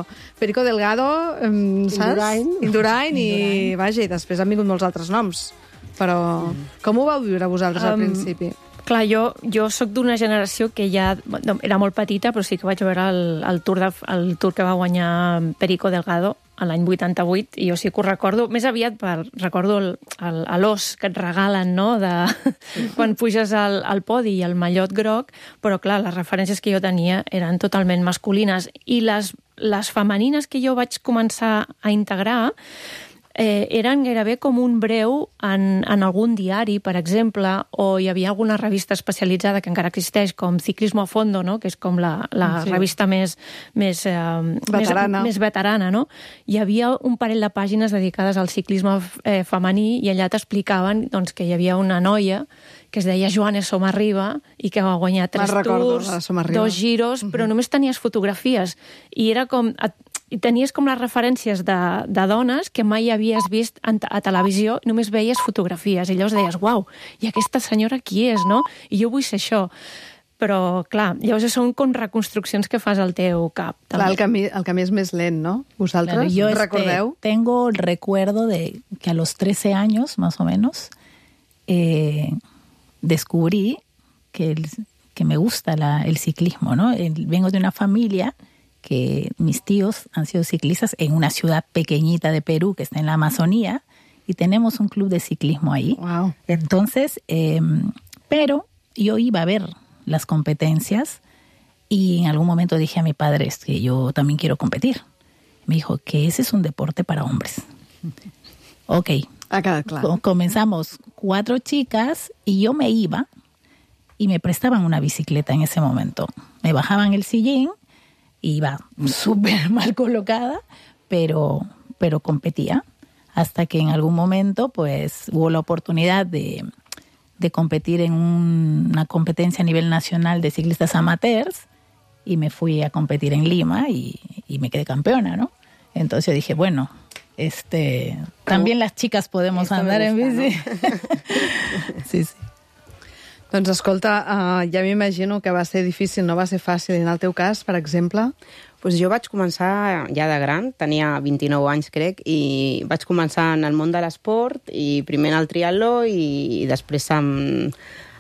Perico Delgado, em, saps? Indurain. Indurain, i, vaja, i després han vingut molts altres noms. Però com ho vau viure vosaltres al Um, principi? Clar, jo, jo sóc d'una generació que ja... No, era molt petita, però sí que vaig veure el, el, tour de, el tour que va guanyar Perico Delgado a l'any vuitanta-vuit, i jo sí que ho recordo, més aviat per, recordo el, el, l'os que et regalen, no?, de quan puges al, al podi i el mallot groc, però clar, les referències que jo tenia eren totalment masculines, i les, les femenines que jo vaig començar a integrar eh, eren gairebé com un breu en, en algun diari, per exemple, o hi havia alguna revista especialitzada que encara existeix, com Ciclismo a Fondo, no? Que és com la, la Sí. revista més, més, eh, Veterana. més, més veterana. No? Hi havia un parell de pàgines dedicades al ciclisme eh, femení i allà t'explicaven doncs, que hi havia una noia que es deia Joana Somarriba i que va guanyar tres recordo, tours, la Somarriba. dos giros, uh -huh. però només tenies fotografies. I era com... I tenies com les referències de, de dones que mai havies vist en, a televisió, només veies fotografies. I llavors deies, uau, i aquesta senyora qui és, no? I jo vull ser això. Però, clar, llavors són com reconstruccions que fas al teu cap. També. Clar, el camí, el camí és més lent, no? Vosaltres Claro, yo este, recordeu? tengo el recuerdo de que a los trece años, más o menos, eh, descubrí que, el- que me gusta la- el ciclismo, ¿no? El- vengo de una familia que mis tíos han sido ciclistas en una ciudad pequeñita de Perú que está en la Amazonía y tenemos un club de ciclismo ahí. Wow. Entonces, eh, pero yo iba a ver las competencias y en algún momento dije a mi padre, es que yo también quiero competir. Me dijo que ese es un deporte para hombres. Ok, Ha quedat clar. Co- comenzamos cuatro chicas y yo me iba y me prestaban una bicicleta en ese momento. Me bajaban el sillín, iba súper mal colocada, pero, pero competía. Hasta que en algún momento pues hubo la oportunidad de, de competir en un- una competencia a nivel nacional de ciclistas amateurs y me fui a competir en Lima y, y me quedé campeona, ¿no? Entonces yo dije, bueno, este, también las chicas podemos Esto me andar en gusta, bici. Sí, sí. Doncs escolta, uh, ja m'imagino que va ser difícil, no va ser fàcil. En el teu cas, per exemple, Pues jo vaig començar ja de gran, tenia vint-i-nou anys, crec, i vaig començar en el món de l'esport, i primer en el triatló i, i després amb,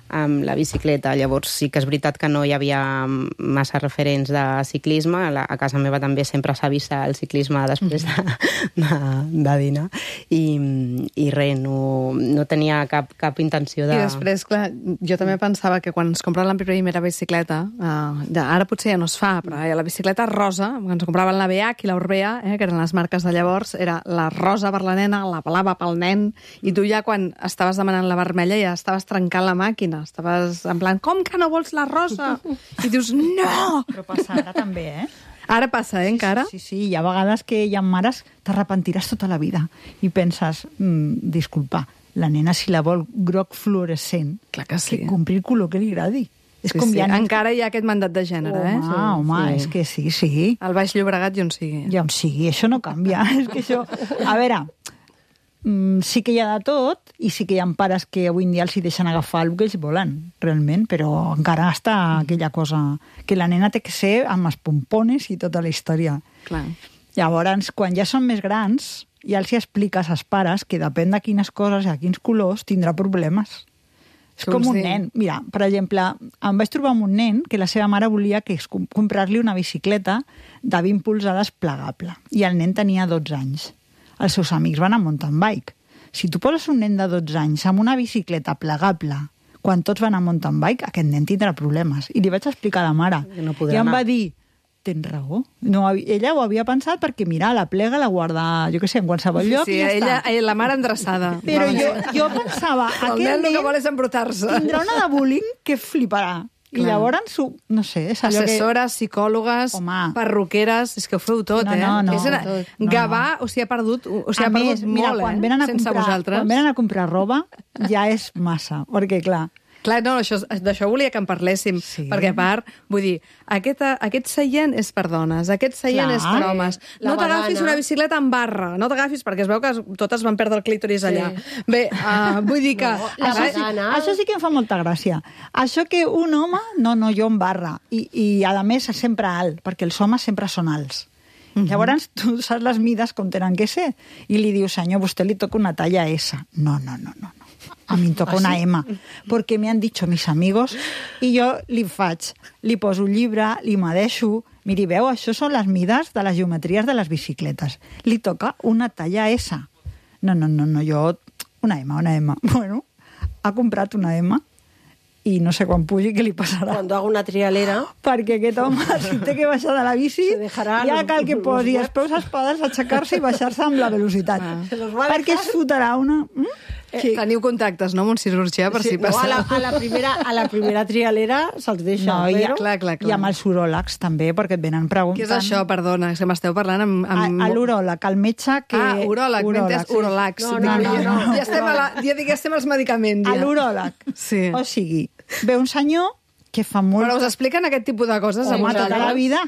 amb la bicicleta. Llavors sí que és veritat que no hi havia massa referents de ciclisme. A, la, a casa meva també sempre s'ha vist el ciclisme després de, de, de dinar. I, i res, no, no tenia cap, cap intenció de... i després, clar, jo també pensava que quan ens comprava la primera bicicleta, uh, ja, ara potser ja no es fa, però eh, la bicicleta rosa, quan ens compraven la B H i la Orbea, eh, que eren les marques de llavors, era la rosa per la nena, la blava pel nen, i tu ja quan estaves demanant la vermella ja estaves trencant la màquina, estaves en plan, com que no vols la rosa? I dius, no! Però passa ara també, eh? Ara passa, eh, encara? Sí, sí, hi ha vegades que hi ha mares t'arrepentiràs tota la vida i penses, mm, disculpa, la nena si la vol groc fluorescent, Clar que sí. que compri el color que li agradi. És Sí, com sí. hi ha nens- Encara hi ha aquest mandat de gènere, Home, eh? home, sí. és que sí, sí. Al Baix Llobregat i on sigui. Ja on sigui, això no canvia. És que això... A veure, mm, sí que hi ha de tot i sí que hi ha pares que avui en dia els hi deixen agafar el que ells volen, realment, però encara està aquella cosa que la nena té que ser amb els pompones i tota la història. Clar. Llavors, quan ja són més grans, ja els hi expliques als pares que depèn de quines coses i a quins colors tindrà problemes. És Què com vols un dir? nen. Mira, per exemple, em vaig trobar amb un nen que la seva mare volia que es com- comprar-li una bicicleta de vint polzades plegable. I el nen tenia dotze anys. Els seus amics van a mountain bike. Si tu poses un nen de dotze anys amb una bicicleta plegable quan tots van a mountain bike, aquest nen tindrà problemes. I li vaig explicar a la mare. No podrà I em anar. va dir, tens raó. No, ella ho havia pensat perquè, mira, la plega la guarda, jo què sé, en qualsevol lloc sí, i ja ella, està. ella, la mare endreçada. Però Va, jo, jo pensava, El aquest nen el que nen vol és embrutar-se. tindrà una de bullying que fliparà. I Clar. llavors, ho- no sé, és allò que... Assessores, psicòlogues, Home. perruqueres, és que ho feu tot, No, eh? no, no, és una... tot. No, Gavà, o sigui, ha perdut, o sigui, a ha perdut més, mira, molt, quan eh? venen a Sense comprar, vosaltres. quan venen a comprar roba, ja és massa. Perquè, clar, Clar, no, això, d'això volia que en parléssim, Sí. perquè a part, vull dir, aquest, aquest seient és per dones, aquest seient Clar. és per homes. La No t'agafis badana. una bicicleta amb barra, no t'agafis, perquè es veu que es- totes van perdre el clítoris allà. Bé, uh, vull dir que... la Ara- badana. això sí que em fa molta gràcia. Això que un home, no, no, jo en barra. I, i a més, sempre alt, perquè els homes sempre són alts. Llavors, tu saps les mides com tenen que ser. I li dius, senyor, a vostè li toca una talla S. No, no, no, no. no. A mi em toca una M. Perquè me han dicho mis amigos i jo li faig, li poso un llibre, li medeixo. Miri, veu, això són les mides de les geometries de les bicicletes. Li toca una talla S. No, no, no, no, jo... Una M, una M. Bueno, ha comprat una M i no sé quan pugi què li passarà. Cuando hago una trialera... Perquè aquest home, si té que baixar de la bici, Se dejarà ja los- cal que los posi huevos. els peus espadats, aixecar-se i baixar-se amb la velocitat. Se los va a Perquè dejar- es fotrà una... Mm? Sí. Teniu contactes, no, amb un cirurgià, per si no, a passa... la, a, la primera, a la primera trialera se'ls deixa. No, i, però... Clar, clar, clar. i amb els uròlegs també, perquè et venen preguntant... Què és això, perdona, és que m'esteu parlant amb... amb... A, a l'uròleg, el metge que... Ah, uròleg, m'he entès sí. uròlegs. No, Dic, no, no, ja, no. ja estem a la, ja dic, ja estem als medicaments, A ja. l'uròleg. Sí. O sigui, ve un senyor que fa molt... Però us expliquen aquest tipus de coses? a Home, tota vosaltres? la vida.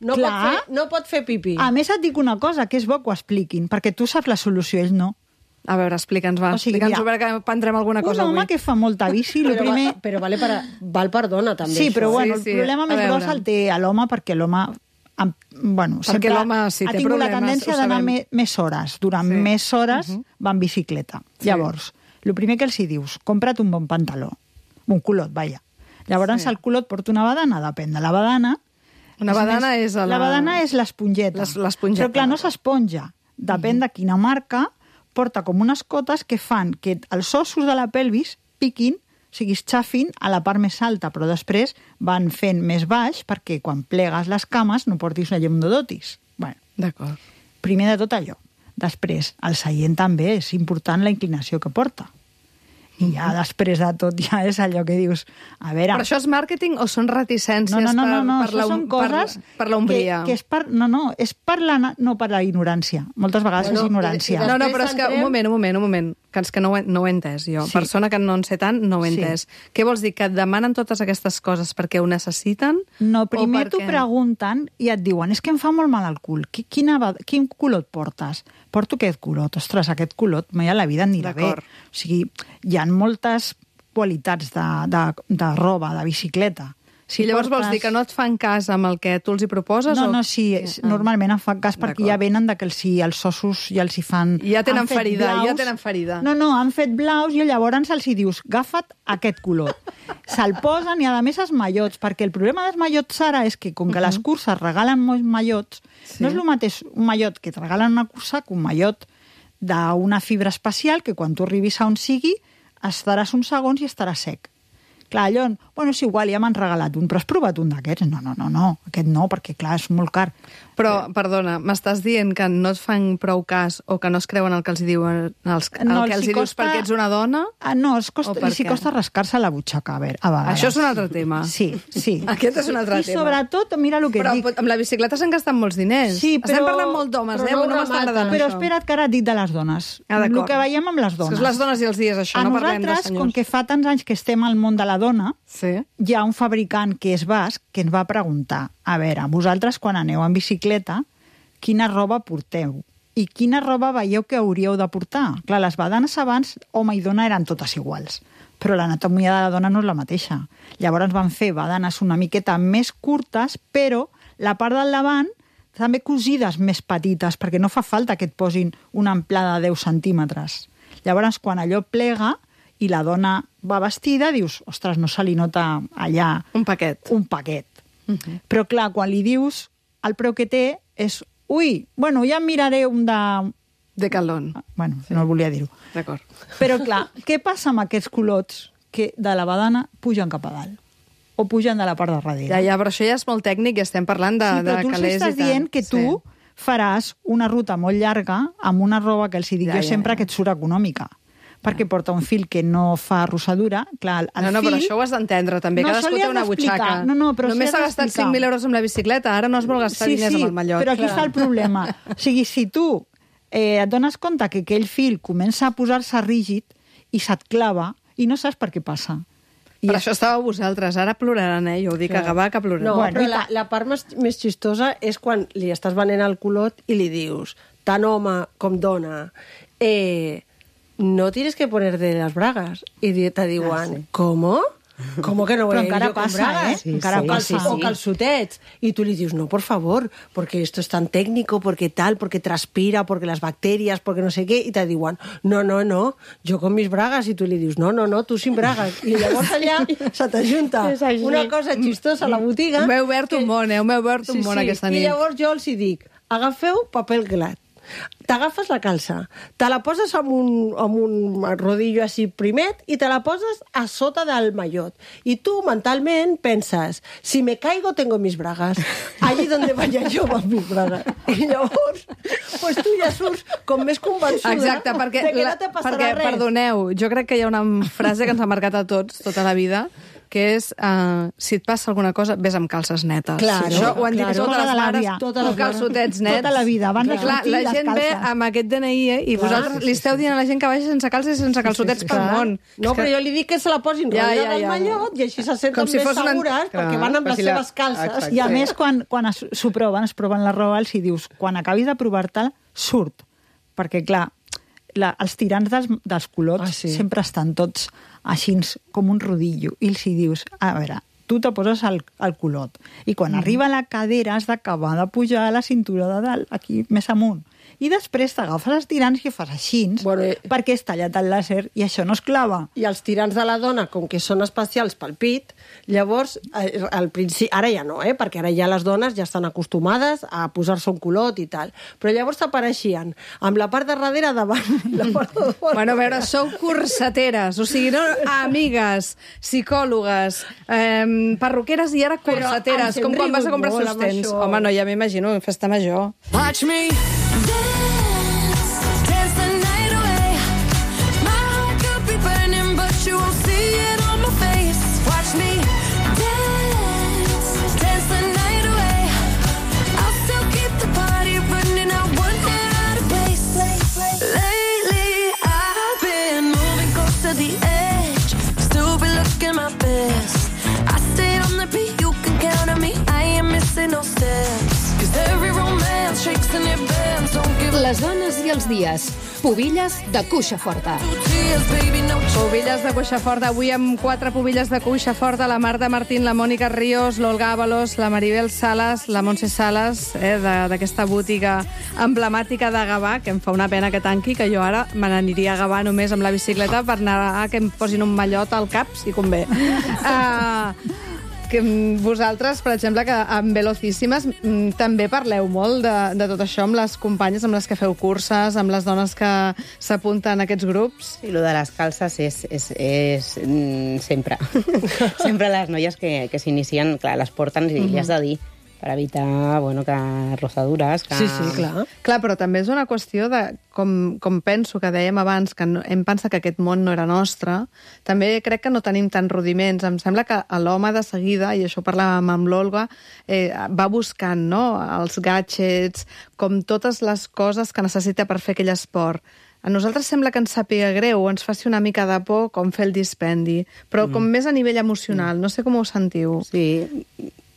No pot, Clar. fer, no pot fer pipí. A més, et dic una cosa, que és bo que ho expliquin, perquè tu saps la solució, ells no. A veure, explica'ns, va. O sigui, Explica'ns mira, que prendrem alguna Un cosa home avui. que fa molta bici, el Però, primer... va, però vale per, val per dona, també. Sí, això. però bueno, Sí, sí, el problema a més veure. gros el té a l'home, perquè l'home amb- bueno, Perquè sempre l'home, sí, ha té tingut la problemes, tendència ho d'anar sabem. me, més hores. Durant Sí. més hores va en bicicleta. Llavors, el primer que els hi dius, compra't un bon pantaló. Un culot, vaja. Llavors Sí. el culot porta una badana, depèn de la badana. Una badana és a la- La badana és l'esponjeta. Les- l'esponjeta. Però clar, no s'esponja. Depèn de quina marca, porta com unes cotes que fan que els ossos de la pelvis piquin, o sigui, es xafin a la part més alta, però després van fent més baix perquè quan plegues les cames no portis una llumdodotis. Bueno, D'acord. primer de tot allò. Després, el seient també és important la inclinació que porta. I ja després de tot ja és allò que dius, a veure... Però això és màrqueting o són reticències No, no, no, per, no, no per, això la, són coses per, per la ombria? que, que és per, no, no, és per la, no per la ignorància. Moltes vegades Bueno, és ignorància. i- i No, no, Després però és que, un entrem- moment, un moment, un moment, que és que no ho he, no ho he entès jo. Sí. Persona que no en sé tant, no ho he Sí. entès. Què vols dir, que et demanen totes aquestes coses perquè ho necessiten? No, o primer t'ho perquè- pregunten i et diuen, és que em fa molt mal el cul. Qui- Quina, va- quin culot portes? Porto aquest culot. Ostres, aquest culot mai a la vida anirà bé. D'acord. O sigui, hi ha moltes qualitats de, de, de roba, de bicicleta. Si llavors vols dir que no et fan cas amb el que tu els hi proposes? No, o... no, sí, és, normalment em fan cas perquè D'acord. ja venen de que els, si els ossos ja els hi fan... Ja tenen han fet ferida, ja tenen ferida. No, no, han fet blaus i llavors els hi dius, agafa't aquest color. Se'l posen i a més els mallots, perquè el problema dels mallots ara és que com que les curses regalen molts mallots, Sí. no és el mateix un mallot que et regalen una cursa que un mallot d'una fibra especial que quan tu arribis a on sigui estaràs uns segons i estarà sec. Clar, allò, bueno, és igual, ja m'han regalat un, però has provat un d'aquests? No, no, no, no, aquest no, perquè clar, és molt car. Però, perdona, m'estàs dient que no et fan prou cas o que no es creuen el que els hi diuen els, el No, que els els hi hi dius costa- perquè ets una dona? Ah, no, els costa, O per els hi què? costa rascar-se la butxaca, a veure, a vegades. Això és un altre tema. Sí, sí. Aquest és un altre I tema. sobretot, mira el que Però dic. amb la bicicleta s'han gastat molts diners. Sí, però- Estem parlant molt d'homes, però eh? no No m'està rematen. agradant Però això. espera't que ara et dic de les dones. Ah, d'acord. el que veiem amb les És dones. que és les dones i els dies, això, A no parlem de nosaltres, senyors. com que fa tants anys que estem al món de la dona, Sí. hi ha un fabricant que és basc que ens va preguntar, a veure, vosaltres quan aneu en bicicleta, quina roba porteu? I quina roba veieu que hauríeu de portar? Clar, les badanes abans, home i dona, eren totes iguals, però l'anatomia de la dona no és la mateixa. Llavors van fer badanes una miqueta més curtes, però la part del davant també cosides més petites, perquè no fa falta que et posin una amplada de deu centímetres. Llavors, quan allò plega i la dona va vestida, dius, ostres, no se li nota allà Un paquet. un paquet. Uh -huh. Però clar, quan li dius el preu que té és, ui, bueno, ja em miraré un de... De calón. Bueno, sí. No volia dir-ho. D'acord. Però clar, què passa amb aquests culots que de la badana pugen cap a dalt? O pugen de la part de darrere? Ja, ja, però això ja és molt tècnic i estem parlant de, sí, però de tu els calés i estàs tant. dient que tu Sí. faràs una ruta molt llarga amb una roba que els hi dic Ja, jo ja, sempre ja. que et surt econòmica. Perquè porta un fil que no fa rossadura. Clar, el No, no, fil... però això ho has d'entendre, també. No, Cadascú això li té has una d'explicar. butxaca. No, no, però Només sí s'ha has gastat d'explicar. cinc mil euros amb la bicicleta, ara no es vol gastar Sí, diners sí, amb el mallot. però aquí Clar. està el problema. O sigui, si tu eh, et dones compte que aquell fil comença a posar-se rígid i se't clava i no saps per què passa. I Per això estàveu vosaltres, ara ploraran, eh? Jo ho dic a Gavà, que ploraran. No, Bueno, però i la, la part més, més xistosa és quan li estàs venent el culot i li dius, tant home com dona, eh, no tienes que ponerte las bragas. I di- te diuen, Ah, sí. ¿cómo? ¿Cómo que no voy Però a ir encara yo con passa, bragas? eh? Sí, Encara sí, passa. sí, O calzotets. Y tú le dices, no, por favor, porque esto es tan técnico, porque tal, porque transpira, porque las bacterias, porque no sé qué. Y te diuen, no, no, no, yo con mis bragas. Y tú le dius, no, no, no, tu sin bragas. I llavors allà se t'ajunta És així. una cosa xistosa a la botiga. M'he obert un món, eh? M'he obert un Sí, món sí. aquesta I nit. llavors jo els hi dic, agafeu paper glat. T'agafes la calça, te la poses amb un, amb un rodillo així primet i te la poses a sota del mallot. I tu mentalment penses, si me caigo tengo mis bragas, allí donde vaya yo van mis bragas. I llavors, pues tu ja surts com més convençuda Exacte, perquè, de que la, no te passarà perquè res. perdoneu, jo crec que hi ha una frase que ens ha marcat a tots tota la vida, que és, uh, si et passa alguna cosa, ves amb calces netes. Claro, Això ho han dit claro. totes les Tota la mares, vida. Totes amb les mares. calçotets nets. Tota la vida, abans de Clar, sortir, la les gent ve calces. amb aquest D N I, eh, i Clar, vosaltres sí, li esteu dient a la gent que vagi sense calces i sense calçotets Sí, sí, pel clar. món. No, És que- però jo li dic que se la posin Ja, ja, ja, ja, del ja. mallot i així se senten Com si més fos una- segures Clar, perquè van amb però les si la- seves calces. Exacte. I a més, quan, quan es- s'ho proven, es proven la roba, els hi dius, quan acabis de provar-te'l, surt. Perquè, clar, la, els tirants dels, dels culots Ah, sí. sempre estan tots així com un rodillo. I els hi dius, a veure, tu te poses el, el culot i quan mm. arriba a la cadera has d'acabar de pujar a la cintura de dalt, aquí més amunt. I després t'agafes els tirants i fas així, Bueno, eh, perquè és tallat el làser i això no es clava. I els tirants de la dona, com que són especials pel pit, llavors, eh, al principi, ara ja no, eh, perquè ara ja les dones ja estan acostumades a posar-se un culot i tal, però llavors t'apareixien amb la part de darrere davant i la part de fora. Bueno, a veure, sou corseteres, o sigui, no amigues, psicòlogues, eh, perruqueres i ara Però corseteres, ens hem com quan vas a comprar rigut molt amb sostens. això. Home, no, ja m'imagino, festa major. Watch me dance, dance the night away. My heart could be burning, but you won't see it on my face. Watch me dance, dance the night away. I'll still keep the party running, I won't get out of place. Lately, I've been moving close to the edge, still be looking my best. I stay on the beat, you can count on me, I ain't missing no steps. 'Cause every romance shakes and it bends, don't give Les dones i els dies. Pubilles de cuixa forta. tears, baby, no Pubilles de cuixa forta. Avui amb quatre pubilles de cuixa forta, la Marta Martín, la Mònica Ríos, l'Olga Ábalos, la Maribel Salas, la Montse Salas, eh, de- d'aquesta botiga emblemàtica de Gavà, que em fa una pena que tanqui, que jo ara me n'aniria a Gavà només amb la bicicleta per anar a que em posin un mallot al cap, si convé. uh, que mm, vosaltres, per exemple, que amb Velocíssimes mm, també parleu molt de, de tot això amb les companyes amb les que feu curses, amb les dones que s'apunten a aquests grups. I lo de les calces és, és, és mm, sempre. sempre les noies que, que s'inicien, clar, les porten i li has de dir per evitar, bueno, que rosadures, que... Sí, sí, clar. Clar, però també és una qüestió de, com, com penso que dèiem abans, que no, hem pensat que aquest món no era nostre, també crec que no tenim tants rudiments. Em sembla que l'home de seguida, i això ho parlàvem amb l'Olga, eh, va buscant, no?, els gadgets, com totes les coses que necessita per fer aquell esport. A nosaltres sembla que ens sàpiga greu o ens faci una mica de por com fer el dispendi, però com més a nivell emocional. No sé com ho sentiu. Sí,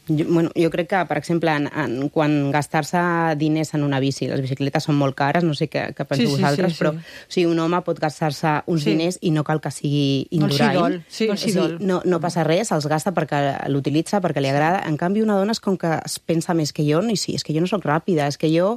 jo, bueno, jo crec que, per exemple, en, en, quan gastar-se diners en una bici, les bicicletes són molt cares, no sé què, què penseu Sí, sí, vosaltres, sí, sí. però o sigui, un home pot gastar-se uns Sí. diners i no cal que sigui No els hi indurain. dol, sí, no els hi O sigui, dol. no, no passa res, els gasta perquè l'utilitza, perquè li agrada. En canvi, una dona és com que es pensa més que jo, no, i sí, és que jo no sóc ràpida, és que jo,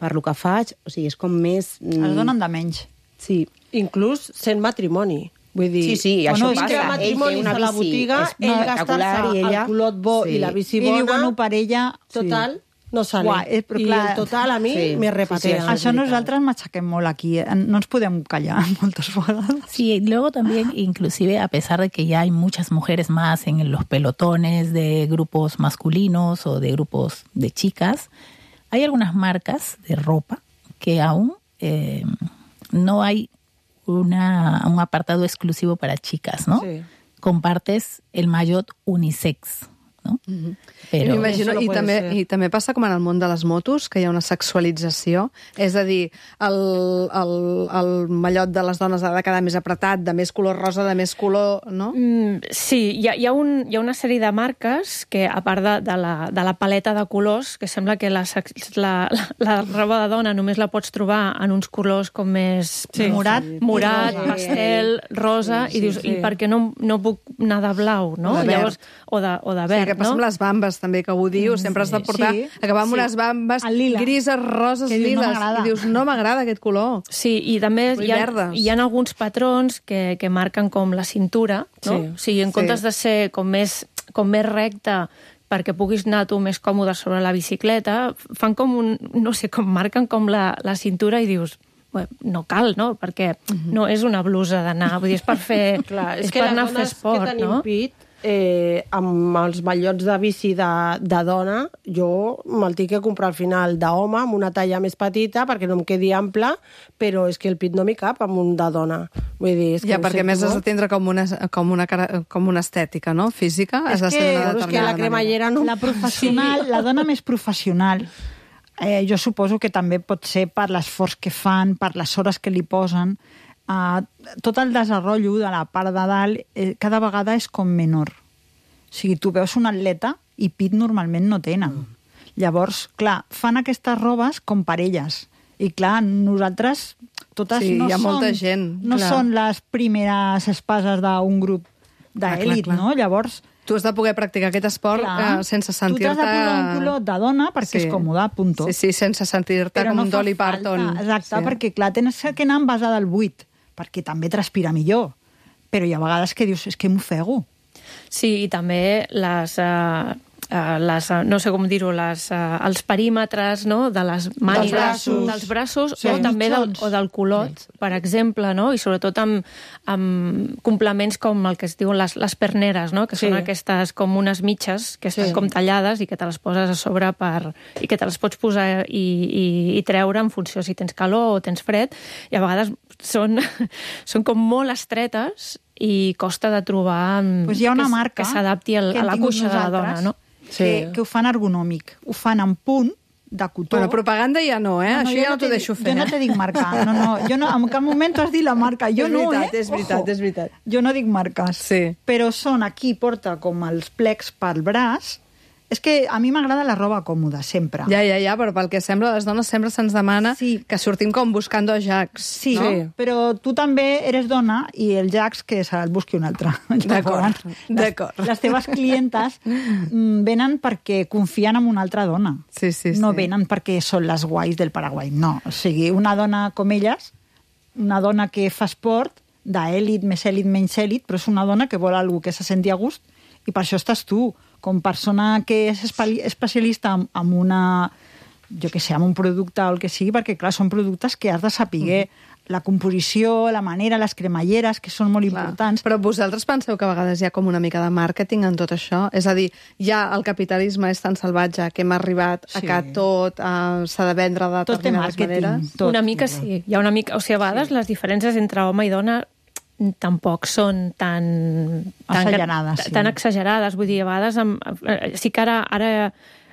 per lo que faig, o sigui, és com més... mm, Es donen de menys. Sí, Inclús sent matrimoni. Vull dir, sí, sí, Bueno, això és passa. que Ell té matrimonis una a la bici botiga, ell espectacular gastar-se i ella... el culot bo i la bici I bona, diu, bueno, per ella... total, no sale. Uah, eh, però I clar- el total a mi Sí, me sí, repatea. sí, Això veritat. nosaltres m'aixequem molt aquí. eh? No ens podem callar moltes vegades. Sí, y luego también, inclusive, a pesar de que ya hay muchas mujeres más en los pelotones de grupos masculinos o de grupos de chicas, hay algunas marcas de ropa que aún eh, no hay una, un apartado exclusivo para chicas, ¿no? Sí. Compartes el maillot unisex, ¿no? Pero M'imagino, Això no i, puede també, ser. i també passa com en el món de les motos, que hi ha una sexualització. És a dir, el, el, el mallot de les dones ha de quedar més apretat, de més color rosa, de més color... No? Mm, sí, hi ha, hi, ha un, hi ha una sèrie de marques que, a part de, de, la, de la paleta de colors, que sembla que la, sex- la, la, la roba de dona només la pots trobar en uns colors com més... Sí. Morat. Morat, rosa. pastel, rosa, Sí, i sí, dius, sí. i per què no, no puc anar de blau, no? O de verd. Llavors, o de, o de Sí, verd, que passa no? amb les bambes, també, que ho diu. Sempre has de portar... Sí. Acabar amb Sí. unes bambes El lila. grises, roses, Que dius, no liles. m'agrada. I dius, no m'agrada aquest color. Sí, i també Vull hi ha, verdes. hi ha alguns patrons que, que marquen com la cintura, no? Sí. O sigui, en Sí. comptes de ser com més, com més recta perquè puguis anar tu més còmode sobre la bicicleta, fan com un... no sé, com marquen com la, la cintura i dius... Bé, no cal, no? Perquè no és una blusa d'anar, vull dir, és per fer... Clar, és, és que per les anar a fer dones esport, que tenim no? pit, eh, amb els ballots de bici de, de dona, jo me'l tinc que comprar al final d'home, amb una talla més petita, perquè no em quedi ample, però és que el pit no m'hi cap amb un de dona. Vull dir, és que Ja, no perquè sé més tu, has de tindre com una, com una, cara- com una estètica, no? Física. És Has de ser que- d'una Però és que determinada la manera. cremallera no... La professional, la dona més professional, eh, jo suposo que també pot ser per l'esforç que fan, per les hores que li posen. Eh, tot el desenrotllo de la part de dalt eh, cada vegada és com menor. O sigui, tu veus un atleta i pit normalment no tenen. Mm. Llavors, clar, fan aquestes robes com per elles. I clar, nosaltres totes Sí, no, hi ha són, molta gent, no clar. són les primeres espases d'un grup Clar, clar, d'elit, clar. no? Llavors, Tu has de poder practicar aquest esport clar, eh, sense tu t'has sentir-te... de posar un culot de dona perquè Sí. és còmode, punto. Sí, sí, sense sentir-te Però com no un fa Dolly falta, Parton. exacte, Sí. perquè clar, tens que anar envasada al buit, perquè també transpira millor. Però hi ha vegades que dius, és que m'ofego. Sí, i també les... Uh, uh, les, uh, no sé com dir-ho, les, uh, els perímetres, no?, de les mànigues, braços. dels braços Sí. o també del, Mitjons. o del culot, sí. per exemple, no?, i sobretot amb, amb complements com el que es diuen les, les perneres, no?, que Sí. són aquestes com unes mitges que estan Sí. com tallades i que te les poses a sobre per, i que te les pots posar i, i, i treure en funció si tens calor o tens fred, i a vegades són, són com molt estretes i costa de trobar Pues hi ha una que, s- marca que s'adapti al- que a hem la tingut cuixa de la dona, nosaltres, no? Que, Sí. que ho fan ergonòmic. Ho fan en punt de cotó. Bueno, propaganda ja no, eh? Això jo ja no t'ho te- deixo fer. Jo no te dic marca. No, no, jo no, en cap moment t'has dit la marca. Jo És no, veritat, eh? és veritat, Ojo. és veritat. Jo no dic marques. Sí. Però són aquí, porta com els plecs pel braç. És que a mi m'agrada la roba còmoda, sempre. Ja, ja, ja, però pel que sembla, a les dones sempre se'ns demana Sí. que sortim com buscando Jacks. Sí, no? no? Però tu també eres dona i el Jax que se'l busqui un altre. D'acord, Llavors, d'acord. Les, les teves clientes mm, venen perquè confien en una altra dona. Sí, sí, sí. No venen perquè són les guais del Paraguai. No, o sigui, una dona com elles, una dona que fa esport, d'èlit, més èlit, menys èlit, però és una dona que vol algú que se senti a gust i per això estàs tu, com persona que és espe- especialista en, en una, jo que sé, en un producte o el que sigui, perquè, clar, són productes que has de saber la composició, la manera, les cremalleres, que són molt Clar. importants. Però vosaltres penseu que a vegades hi ha com una mica de màrqueting en tot això? És a dir, ja el capitalisme és tan salvatge que hem arribat a Sí. que tot eh, s'ha de vendre de Tot té determinades màrqueting. maneres? Tot. Una mica sí. Hi ha una mica... O sigui, a vegades sí. les diferències entre home i dona tampoc són tan... tan Assagerades, sí. Tan exagerades. Vull dir, a vegades... Amb, eh, sí que ara... ara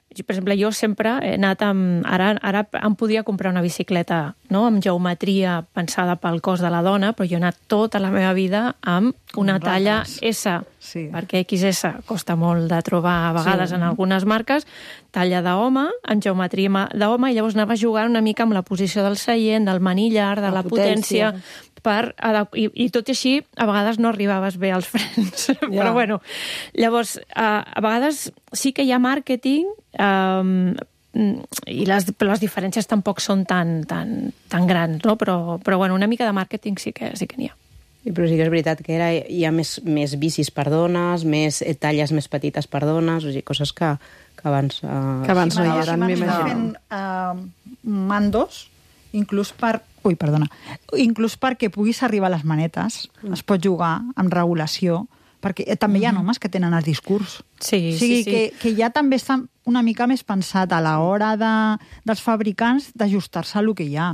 per exemple, jo sempre he anat amb... Ara, ara em podia comprar una bicicleta, no?, amb geometria pensada pel cos de la dona, però jo he anat tota la meva vida amb una Amb talla rates. S, Sí. perquè X S costa molt de trobar a vegades Sí. en algunes marques, talla d'home, en geometria ma- d'home, i llavors anava jugant una mica amb la posició del seient, del manillar, de la, La la potència, potència. per adap- i, i tot i així, a vegades no arribaves bé als frens. Ja. Però bueno, llavors, a, a vegades sí que hi ha màrqueting, um, i les, però les diferències tampoc són tan, tan, tan grans, no? Però, però bueno, una mica de màrqueting sí que sí que n'hi ha. I però sí que és veritat que ara hi ha més, més bicis per dones, més eh, talles més petites per dones, o sigui, coses que, que abans... Eh, Que abans no hi M'agrada- eren, m'agrada m'imagino. fent uh, mandos, inclús per... Ui, perdona. Inclús perquè puguis arribar a les manetes, mm. es pot jugar amb regulació, perquè eh, també hi ha homes que tenen el discurs. Sí, o sigui, sí, sí. Que, que ja també està una mica més pensat a l'hora de, dels fabricants d'ajustar-se a lo que hi ha.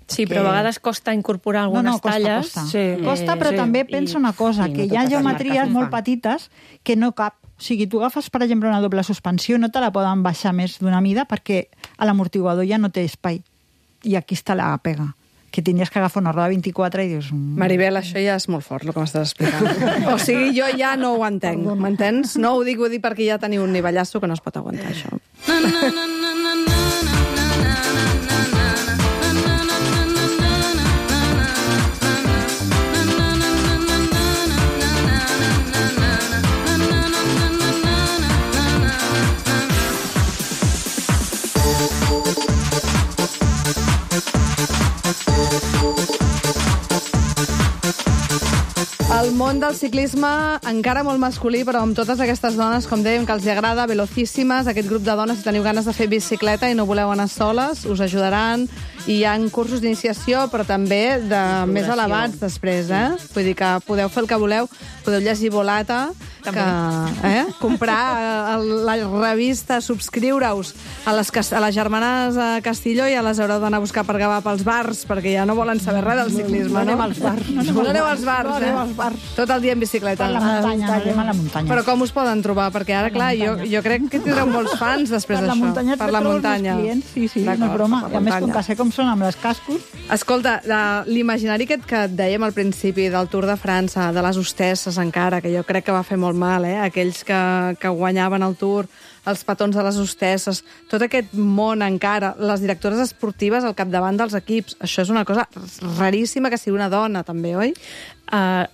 Sí, però a vegades costa incorporar algunes no, no, costa, talles. Costa, Sí. costa però sí. també pensa una cosa, sí, no que hi ha totes les geometries marques ho molt fan. petites que no cap. O sigui, tu agafes, per exemple, una doble suspensió, no te la poden baixar més d'una mida perquè a l'amortiguador ja no té espai. I aquí està la pega. Que tenies que agafar una roda vint-i-quatre i dius... mm, Maribel, això ja és molt fort, el que m'estàs explicant. O sigui, jo ja no ho entenc, m'entens? No ho dic, ho dic perquè ja teniu un nivellasso que no es pot aguantar, això. El món del ciclisme encara molt masculí, però amb totes aquestes dones, com dèiem, que els hi agrada, velocíssimes, aquest grup de dones, si teniu ganes de fer bicicleta i no voleu anar soles, us ajudaran. I hi ha cursos d'iniciació, però també de més elevats després, eh? Vull dir que podeu fer el que voleu, podeu llegir Volata, que, eh? comprar la revista, subscriure-us a les, a les germanes a Castilló i a les haureu d'anar a buscar per Gavà pels bars, perquè ja no volen saber res del ciclisme, no? No anem als bars. No aneu als bars, No anem eh? als bars. Tot el dia en bicicleta. Per la muntanya, no anem a la muntanya. Però com us poden trobar? Perquè ara, clar, jo, jo crec que tindreu molts fans després Per la d'això. muntanya et Per la trobes els muntanya. clients, sí, sí, no és D'acord, broma. per I la a més, com muntanya. que sé com són amb les cascos, Escolta, de- l'imaginari aquest que et dèiem al principi del Tour de França, de les hostesses encara, que jo crec que va fer molt mal, eh? Aquells que, que guanyaven el Tour, els petons de les hostesses, tot aquest món encara, les directores esportives al capdavant dels equips, això és una cosa raríssima que sigui una dona, també, oi? Uh,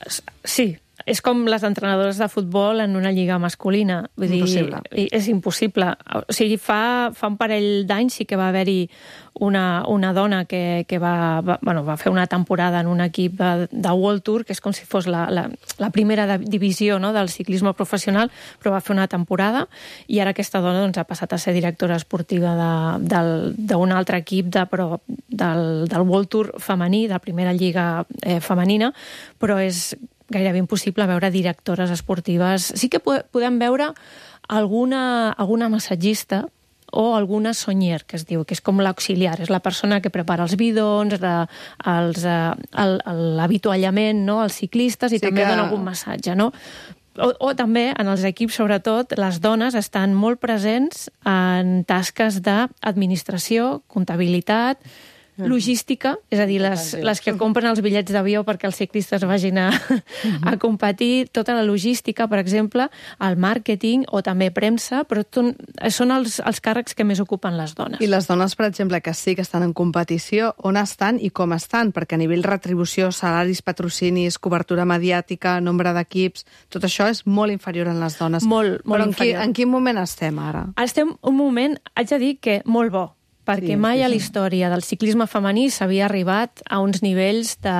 sí, és com les entrenadores de futbol en una lliga masculina. Vull Impossible. Dir, és impossible. O sigui, fa, fa un parell d'anys sí que va haver-hi una, una dona que, que va, va, bueno, va fer una temporada en un equip de, de World Tour, que és com si fos la, la, la primera de, divisió, no?, del ciclisme professional, però va fer una temporada i ara aquesta dona doncs, ha passat a ser directora esportiva de- del- d'un altre equip de, però, del, del World Tour femení, de la primera lliga eh, femenina, però és gairebé impossible veure directores esportives. Sí que po- podem veure alguna, alguna massatgista o alguna sonyer, que es diu, que és com l'auxiliar, és la persona que prepara els bidons, la, els, eh, el- el- l'avituallament, no?, als ciclistes, i Sí també que- dona algun massatge, no? O, o també, en els equips, sobretot, les dones estan molt presents en tasques d'administració, comptabilitat, logística, és a dir, les, les que compren els bitllets d'avió perquè els ciclistes vagin a, a competir, tota la logística, per exemple, el màrqueting o també premsa, però ton- són els, els càrrecs que més ocupen les dones. I les dones, per exemple, que sí que estan en competició, on estan i com estan? Perquè a nivell retribució, salaris, patrocinis, cobertura mediàtica, nombre d'equips, tot això és molt inferior en les dones. Molt, molt Però en, qui, inferior. en quin moment estem ara? Estem un moment, haig de dir que molt bo, perquè Sí, mai sí, a sí. la història del ciclisme femení s'havia arribat a uns nivells de,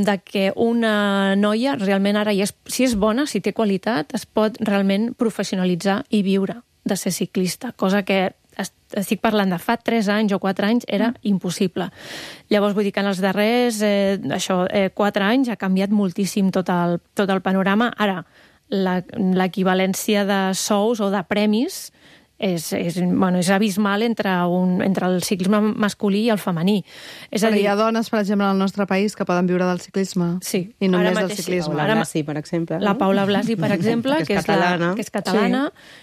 de que una noia realment ara, ja és, si és bona, si té qualitat, es pot realment professionalitzar i viure de ser ciclista, cosa que est- estic parlant de fa tres anys o quatre anys, era impossible. Llavors, vull dir que en els darrers eh, això, eh, quatre anys ha canviat moltíssim tot el, tot el panorama. Ara, la- l'equivalència de sous o de premis és, és, bueno, és abismal entre, un, entre el ciclisme masculí i el femení. És a Però dir, hi ha dones, per exemple, al nostre país que poden viure del ciclisme. Sí, I només ara del mateix sí. ciclisme. Paula Ara- Blasi, per exemple. la no? Paula Blasi, per exemple, Que és que, és catalana. La, que és catalana,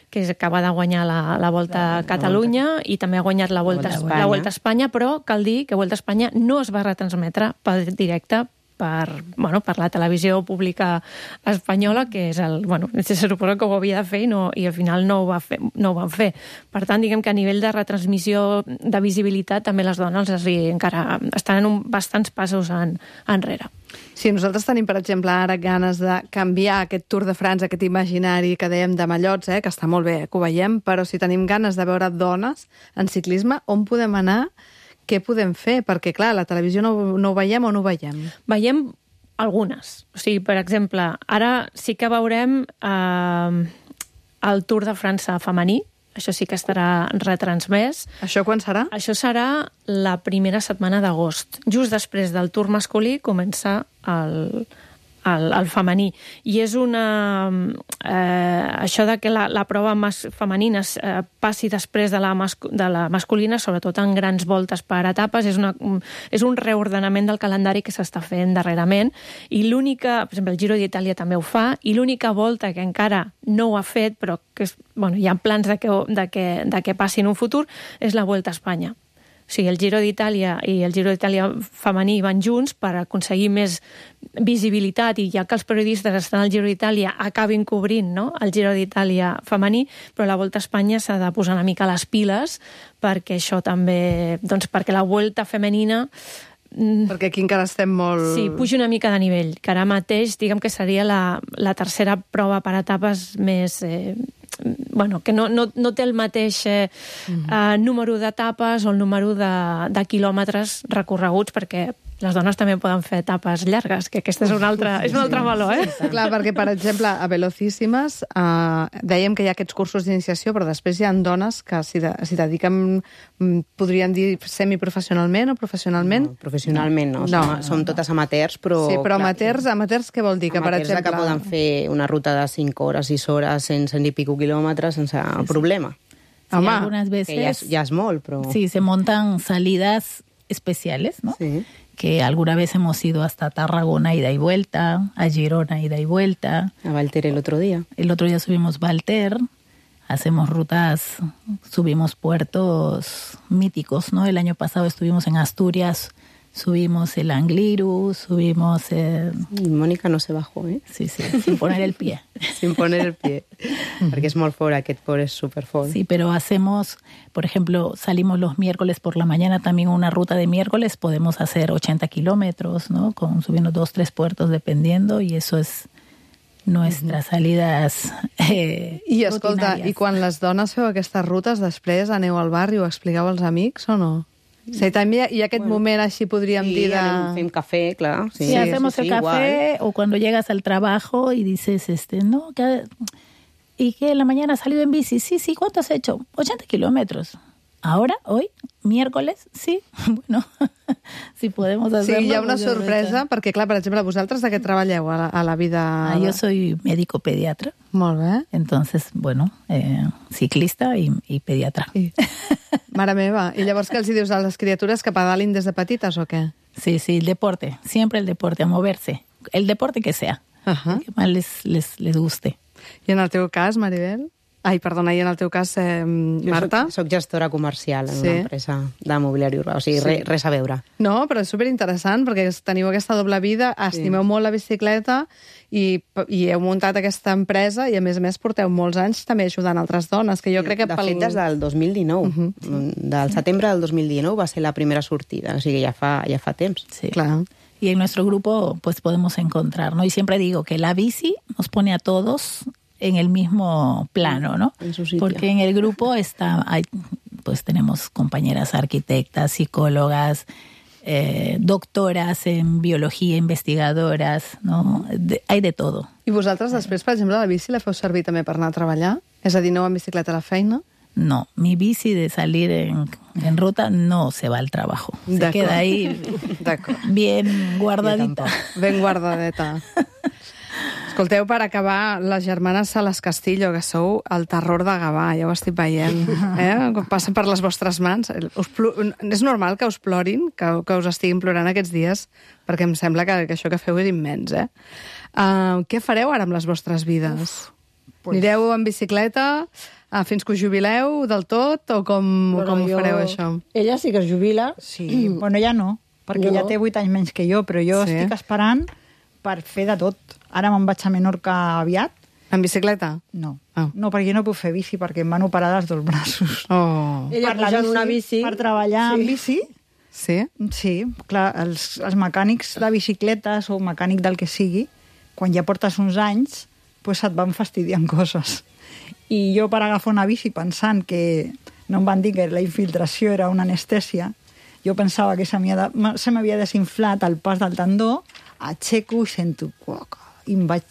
que és, acaba de guanyar la, la Volta a Catalunya i també ha guanyat la Volta, Volta a la Espanya. Volta a Espanya, però cal dir que Volta a Espanya no es va retransmetre per directe per, bueno, per la televisió pública espanyola, que és el... Bueno, se suposa que ho havia de fer i, no, i al final no ho, va fer, no ho van fer. Per tant, diguem que a nivell de retransmissió, de visibilitat, també les dones es, encara estan en un, bastants passos en, enrere. Sí, nosaltres tenim, per exemple, ara ganes de canviar aquest Tour de França, aquest imaginari que dèiem de mallots, eh, que està molt bé, que ho veiem, però si tenim ganes de veure dones en ciclisme, on podem anar? Què podem fer? Perquè, clar, la televisió no, no ho veiem o no ho veiem? Veiem algunes. O sigui, per exemple, ara sí que veurem eh, el Tour de França femení, això sí que estarà retransmès. Això quan serà? Això serà la primera setmana d'agost. Just després del Tour masculí comença el, el, el femení. I és una... Eh, això de que la, la prova mas, femenina es, eh, passi després de la, mas, de la masculina, sobretot en grans voltes per etapes, és, una, un, és un reordenament del calendari que s'està fent darrerament. I l'única... Per exemple, el Giro d'Itàlia també ho fa, i l'única volta que encara no ho ha fet, però que és, bueno, hi ha plans de que, de, que, de que passi en un futur, és la Vuelta a Espanya. O sigui, el Giro d'Itàlia i el Giro d'Itàlia femení van junts per aconseguir més visibilitat, i ja que els periodistes estan al Giro d'Itàlia acabin cobrint, no?, el Giro d'Itàlia femení, però la Volta a Espanya s'ha de posar una mica les piles perquè això també... Doncs perquè la Volta femenina Perquè aquí encara estem molt... sí, puja una mica de nivell, que ara mateix diguem que seria la, la tercera prova per etapes més... Eh, bueno, que no, no, no té el mateix eh, uh, número d'etapes o el número de, de quilòmetres recorreguts, perquè Les dones també poden fer etapes llargues, que aquesta és un altre, és un altre valor, eh? Clar, perquè, per exemple, a Velocíssimes eh, dèiem que hi ha aquests cursos d'iniciació, però després hi ha dones que s'hi de, s'hi dediquen, mm, podríem dir, semiprofessionalment o professionalment? No, professionalment no, No, som, no, som totes amateurs, però... Sí, però clar, amateurs, amateurs què vol dir? Que, per amateurs exemple... que poden fer una ruta de cinc hores, sis hores, cent, cent i pico quilòmetres sense sí, problema. Sí, Home, algunas veces... Que ja és, ja és molt, però... Sí, se montan salidas especiales, ¿no? Sí. Que alguna vez hemos ido hasta Tarragona ida y vuelta, a Girona ida y vuelta. A Valter el otro día. El otro día subimos Valter, hacemos rutas, subimos puertos míticos, ¿no? El año pasado estuvimos en Asturias, subimos el Angliru, subimos... Eh... Y Mónica no se bajó, ¿eh? Sí, sí, sin poner el pie. Sin poner el pie. Porque es molt fort, aquest port és super fort. Sí, pero hacemos, por ejemplo, salimos los miércoles por la mañana, también una ruta de miércoles, podemos hacer ochenta kilómetros, ¿no? Con, subiendo dos, tres puertos, dependiendo, y eso es nuestras salidas eh, I, escolta, rutinàries. i quan les dones feu aquestes rutes, després aneu al barri i ho expliqueu als amics o no? Sí, també hi ha aquest bueno, moment així, podríem sí, dir, de... anem, fem café, clar. Sí, sí, hacemos sí, sí, el café, igual. O cuando llegas al trabajo y dices, este, no, que, y que en la mañana has salido en bici, sí, sí, ¿cuánto has hecho? ochenta kilómetros. ¿Ahora? ¿Hoy? ¿Miércoles? Sí, bueno, si podemos hacerlo. Sí, hi ha una pues sorpresa, perquè, clar, per exemple, vosaltres de què treballeu a la, a la vida? Ah, yo soy médico pediatra. Molt bé. Entonces, bueno, eh, ciclista y, y pediatra. I... Mare meva, i llavors què els hi dius a les criatures que pedalin des de petites o què? Sí, sí, el deporte, siempre el deporte, a moverse. El deporte que sea, uh -huh. el que más les, les, les guste. I en el teu cas, Maribel? Ai, perdona, i en el teu cas, eh, Marta? Jo soc, soc gestora comercial en sí. una empresa de mobiliari urbà, o sigui, sí. res, res a veure. No, però és superinteressant, perquè teniu aquesta doble vida, estimeu sí. molt la bicicleta i, i heu muntat aquesta empresa i, a més a més, porteu molts anys també ajudant altres dones, que jo sí, crec que... De pel... fet, des del dos mil dinou. Uh -huh. sí. Del setembre del dos mil dinou va ser la primera sortida, o sigui, ja fa, ja fa temps. Sí. Clar. Y en nuestro grupo, pues, podemos encontrar, ¿no? Y siempre digo que la bici nos pone a todos en el mismo plano, ¿no? En su sitio. Porque en el grupo está, hay, pues tenemos compañeras arquitectas, psicólogas, eh, doctoras en biología, investigadoras, ¿no? De, hay de todo. I vosaltres després, per exemple, la bici la feu servir també per anar a treballar? És a dir, aneu amb bicicleta a la feina? No, mi bici de salir en, en ruta no se va al trabajo. Se queda ahí bien guardadita. Ben guardadeta. Escolteu, per acabar, les germanes Salas Castillo, que sou el terror de Gavà, ja ho estic veient, eh? Quan passen per les vostres mans. Us plo... És normal que us plorin, que, que us estiguin plorant aquests dies, perquè em sembla que, que això que feu és immens, eh? Uh, què fareu ara amb les vostres vides? Uf, pues... Anireu en bicicleta uh, fins que us jubileu del tot, o com, bueno, com ho fareu, jo... això? Ella sí que es jubila. Sí, mm. bueno, ja no, perquè jo ja no. té vuit anys menys que jo, però jo sí. estic esperant per fer de tot. Ara me'n vaig a Menorca aviat. En bicicleta? No. Oh. No, perquè jo no puc fer bici, perquè em van operar dels dos braços. Oh. Ella puja en una bici. Per treballar sí. en bici. Sí? Sí, clar, els, els mecànics de bicicletes o mecànic del que sigui, quan ja portes uns anys, pues et van fastidiant coses. I jo per agafar una bici pensant que no em van dir que la infiltració era una anestèsia, jo pensava que se m'havia desinflat el pas del tendó, aixeco i sento i em vaig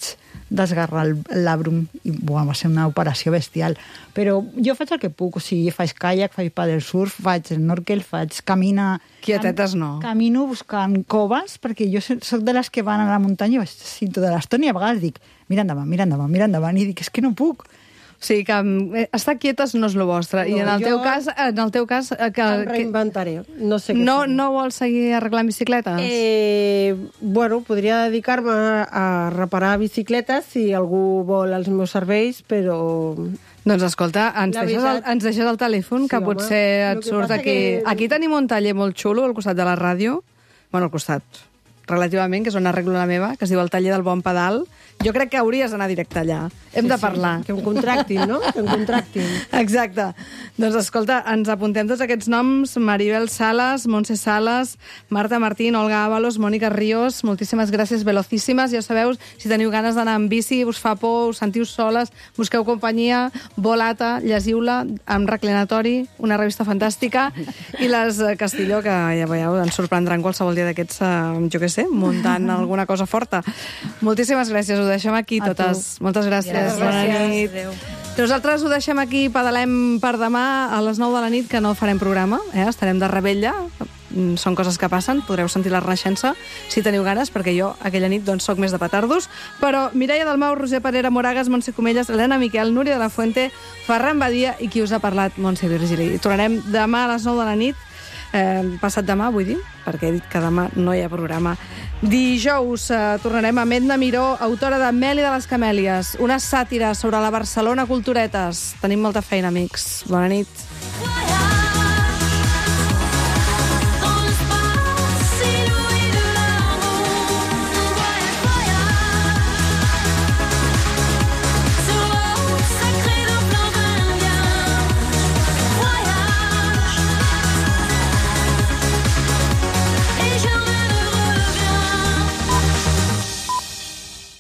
desgarrar el labrum i buah, va ser una operació bestial. Però jo faig el que puc, o sigui, faig kayak, faig paddle surf, faig snorkel, faig camina... Quietetes no. Camino buscant coves, perquè jo soc de les que van a la muntanya i vaig sentir tota l'estona i a vegades dic mira endavant, mira endavant, mira endavant, i dic és que no puc. O sigui, que estar quietes no és el vostre. No, I en el teu cas... En el teu cas que, em reinventaré. No sé què no, fer. No vols seguir arreglant bicicletes? Eh, bueno, podria dedicar-me a reparar bicicletes si algú vol els meus serveis, però... Doncs escolta, ens, deixes, veritat... el, ens deixes el telèfon, sí, que home, potser et surt aquí... Que... Aquí tenim un taller molt xulo al costat de la ràdio. Bueno, al costat... relativament, que és on arreglo la meva, que es diu el taller del Bon Pedal. Jo crec que hauries d'anar directe allà. Hem Sí, de sí, parlar. que em contractin, no? Que em contractin. Exacte. Doncs escolta, ens apuntem tots aquests noms: Maribel Salas, Montse Salas, Marta Martín, Olga Ábalos, Mònica Ríos. Moltíssimes gràcies, velocíssimes. Ja sabeu, si teniu ganes d'anar amb bici, us fa por, us sentiu soles, busqueu companyia, Volata, llegiu-la, amb reclinatori, una revista fantàstica, i les eh, Castilló, que ja veieu, ens sorprendran qualsevol dia d'aquests, eh, jo què sé, muntant alguna cosa forta. Moltíssimes gràcies, ho deixem aquí A totes. Moltes gràcies. Gràcies. Bona nit. Adéu. Nosaltres ho deixem aquí, pedalem per demà a les nou de la nit, que no farem programa, eh? Estarem de rebella, Mm, són coses que passen, podreu sentir la renaixença si teniu ganes, perquè jo aquella nit doncs soc més de petardos, però Mireia Dalmau, Roser Parera, Moragas, Montse Comelles, Helena Miquel, Núria de la Fuente, Ferran Badia i qui us ha parlat, Montse Virgili. I tornarem demà a les nou de la nit, eh, passat demà, vull dir, perquè he dit que demà no hi ha programa. Dijous eh, tornarem amb Edna Miró, autora de Meli de les Camèlies, una sàtira sobre la Barcelona Culturetes. Tenim molta feina, amics. Bona nit.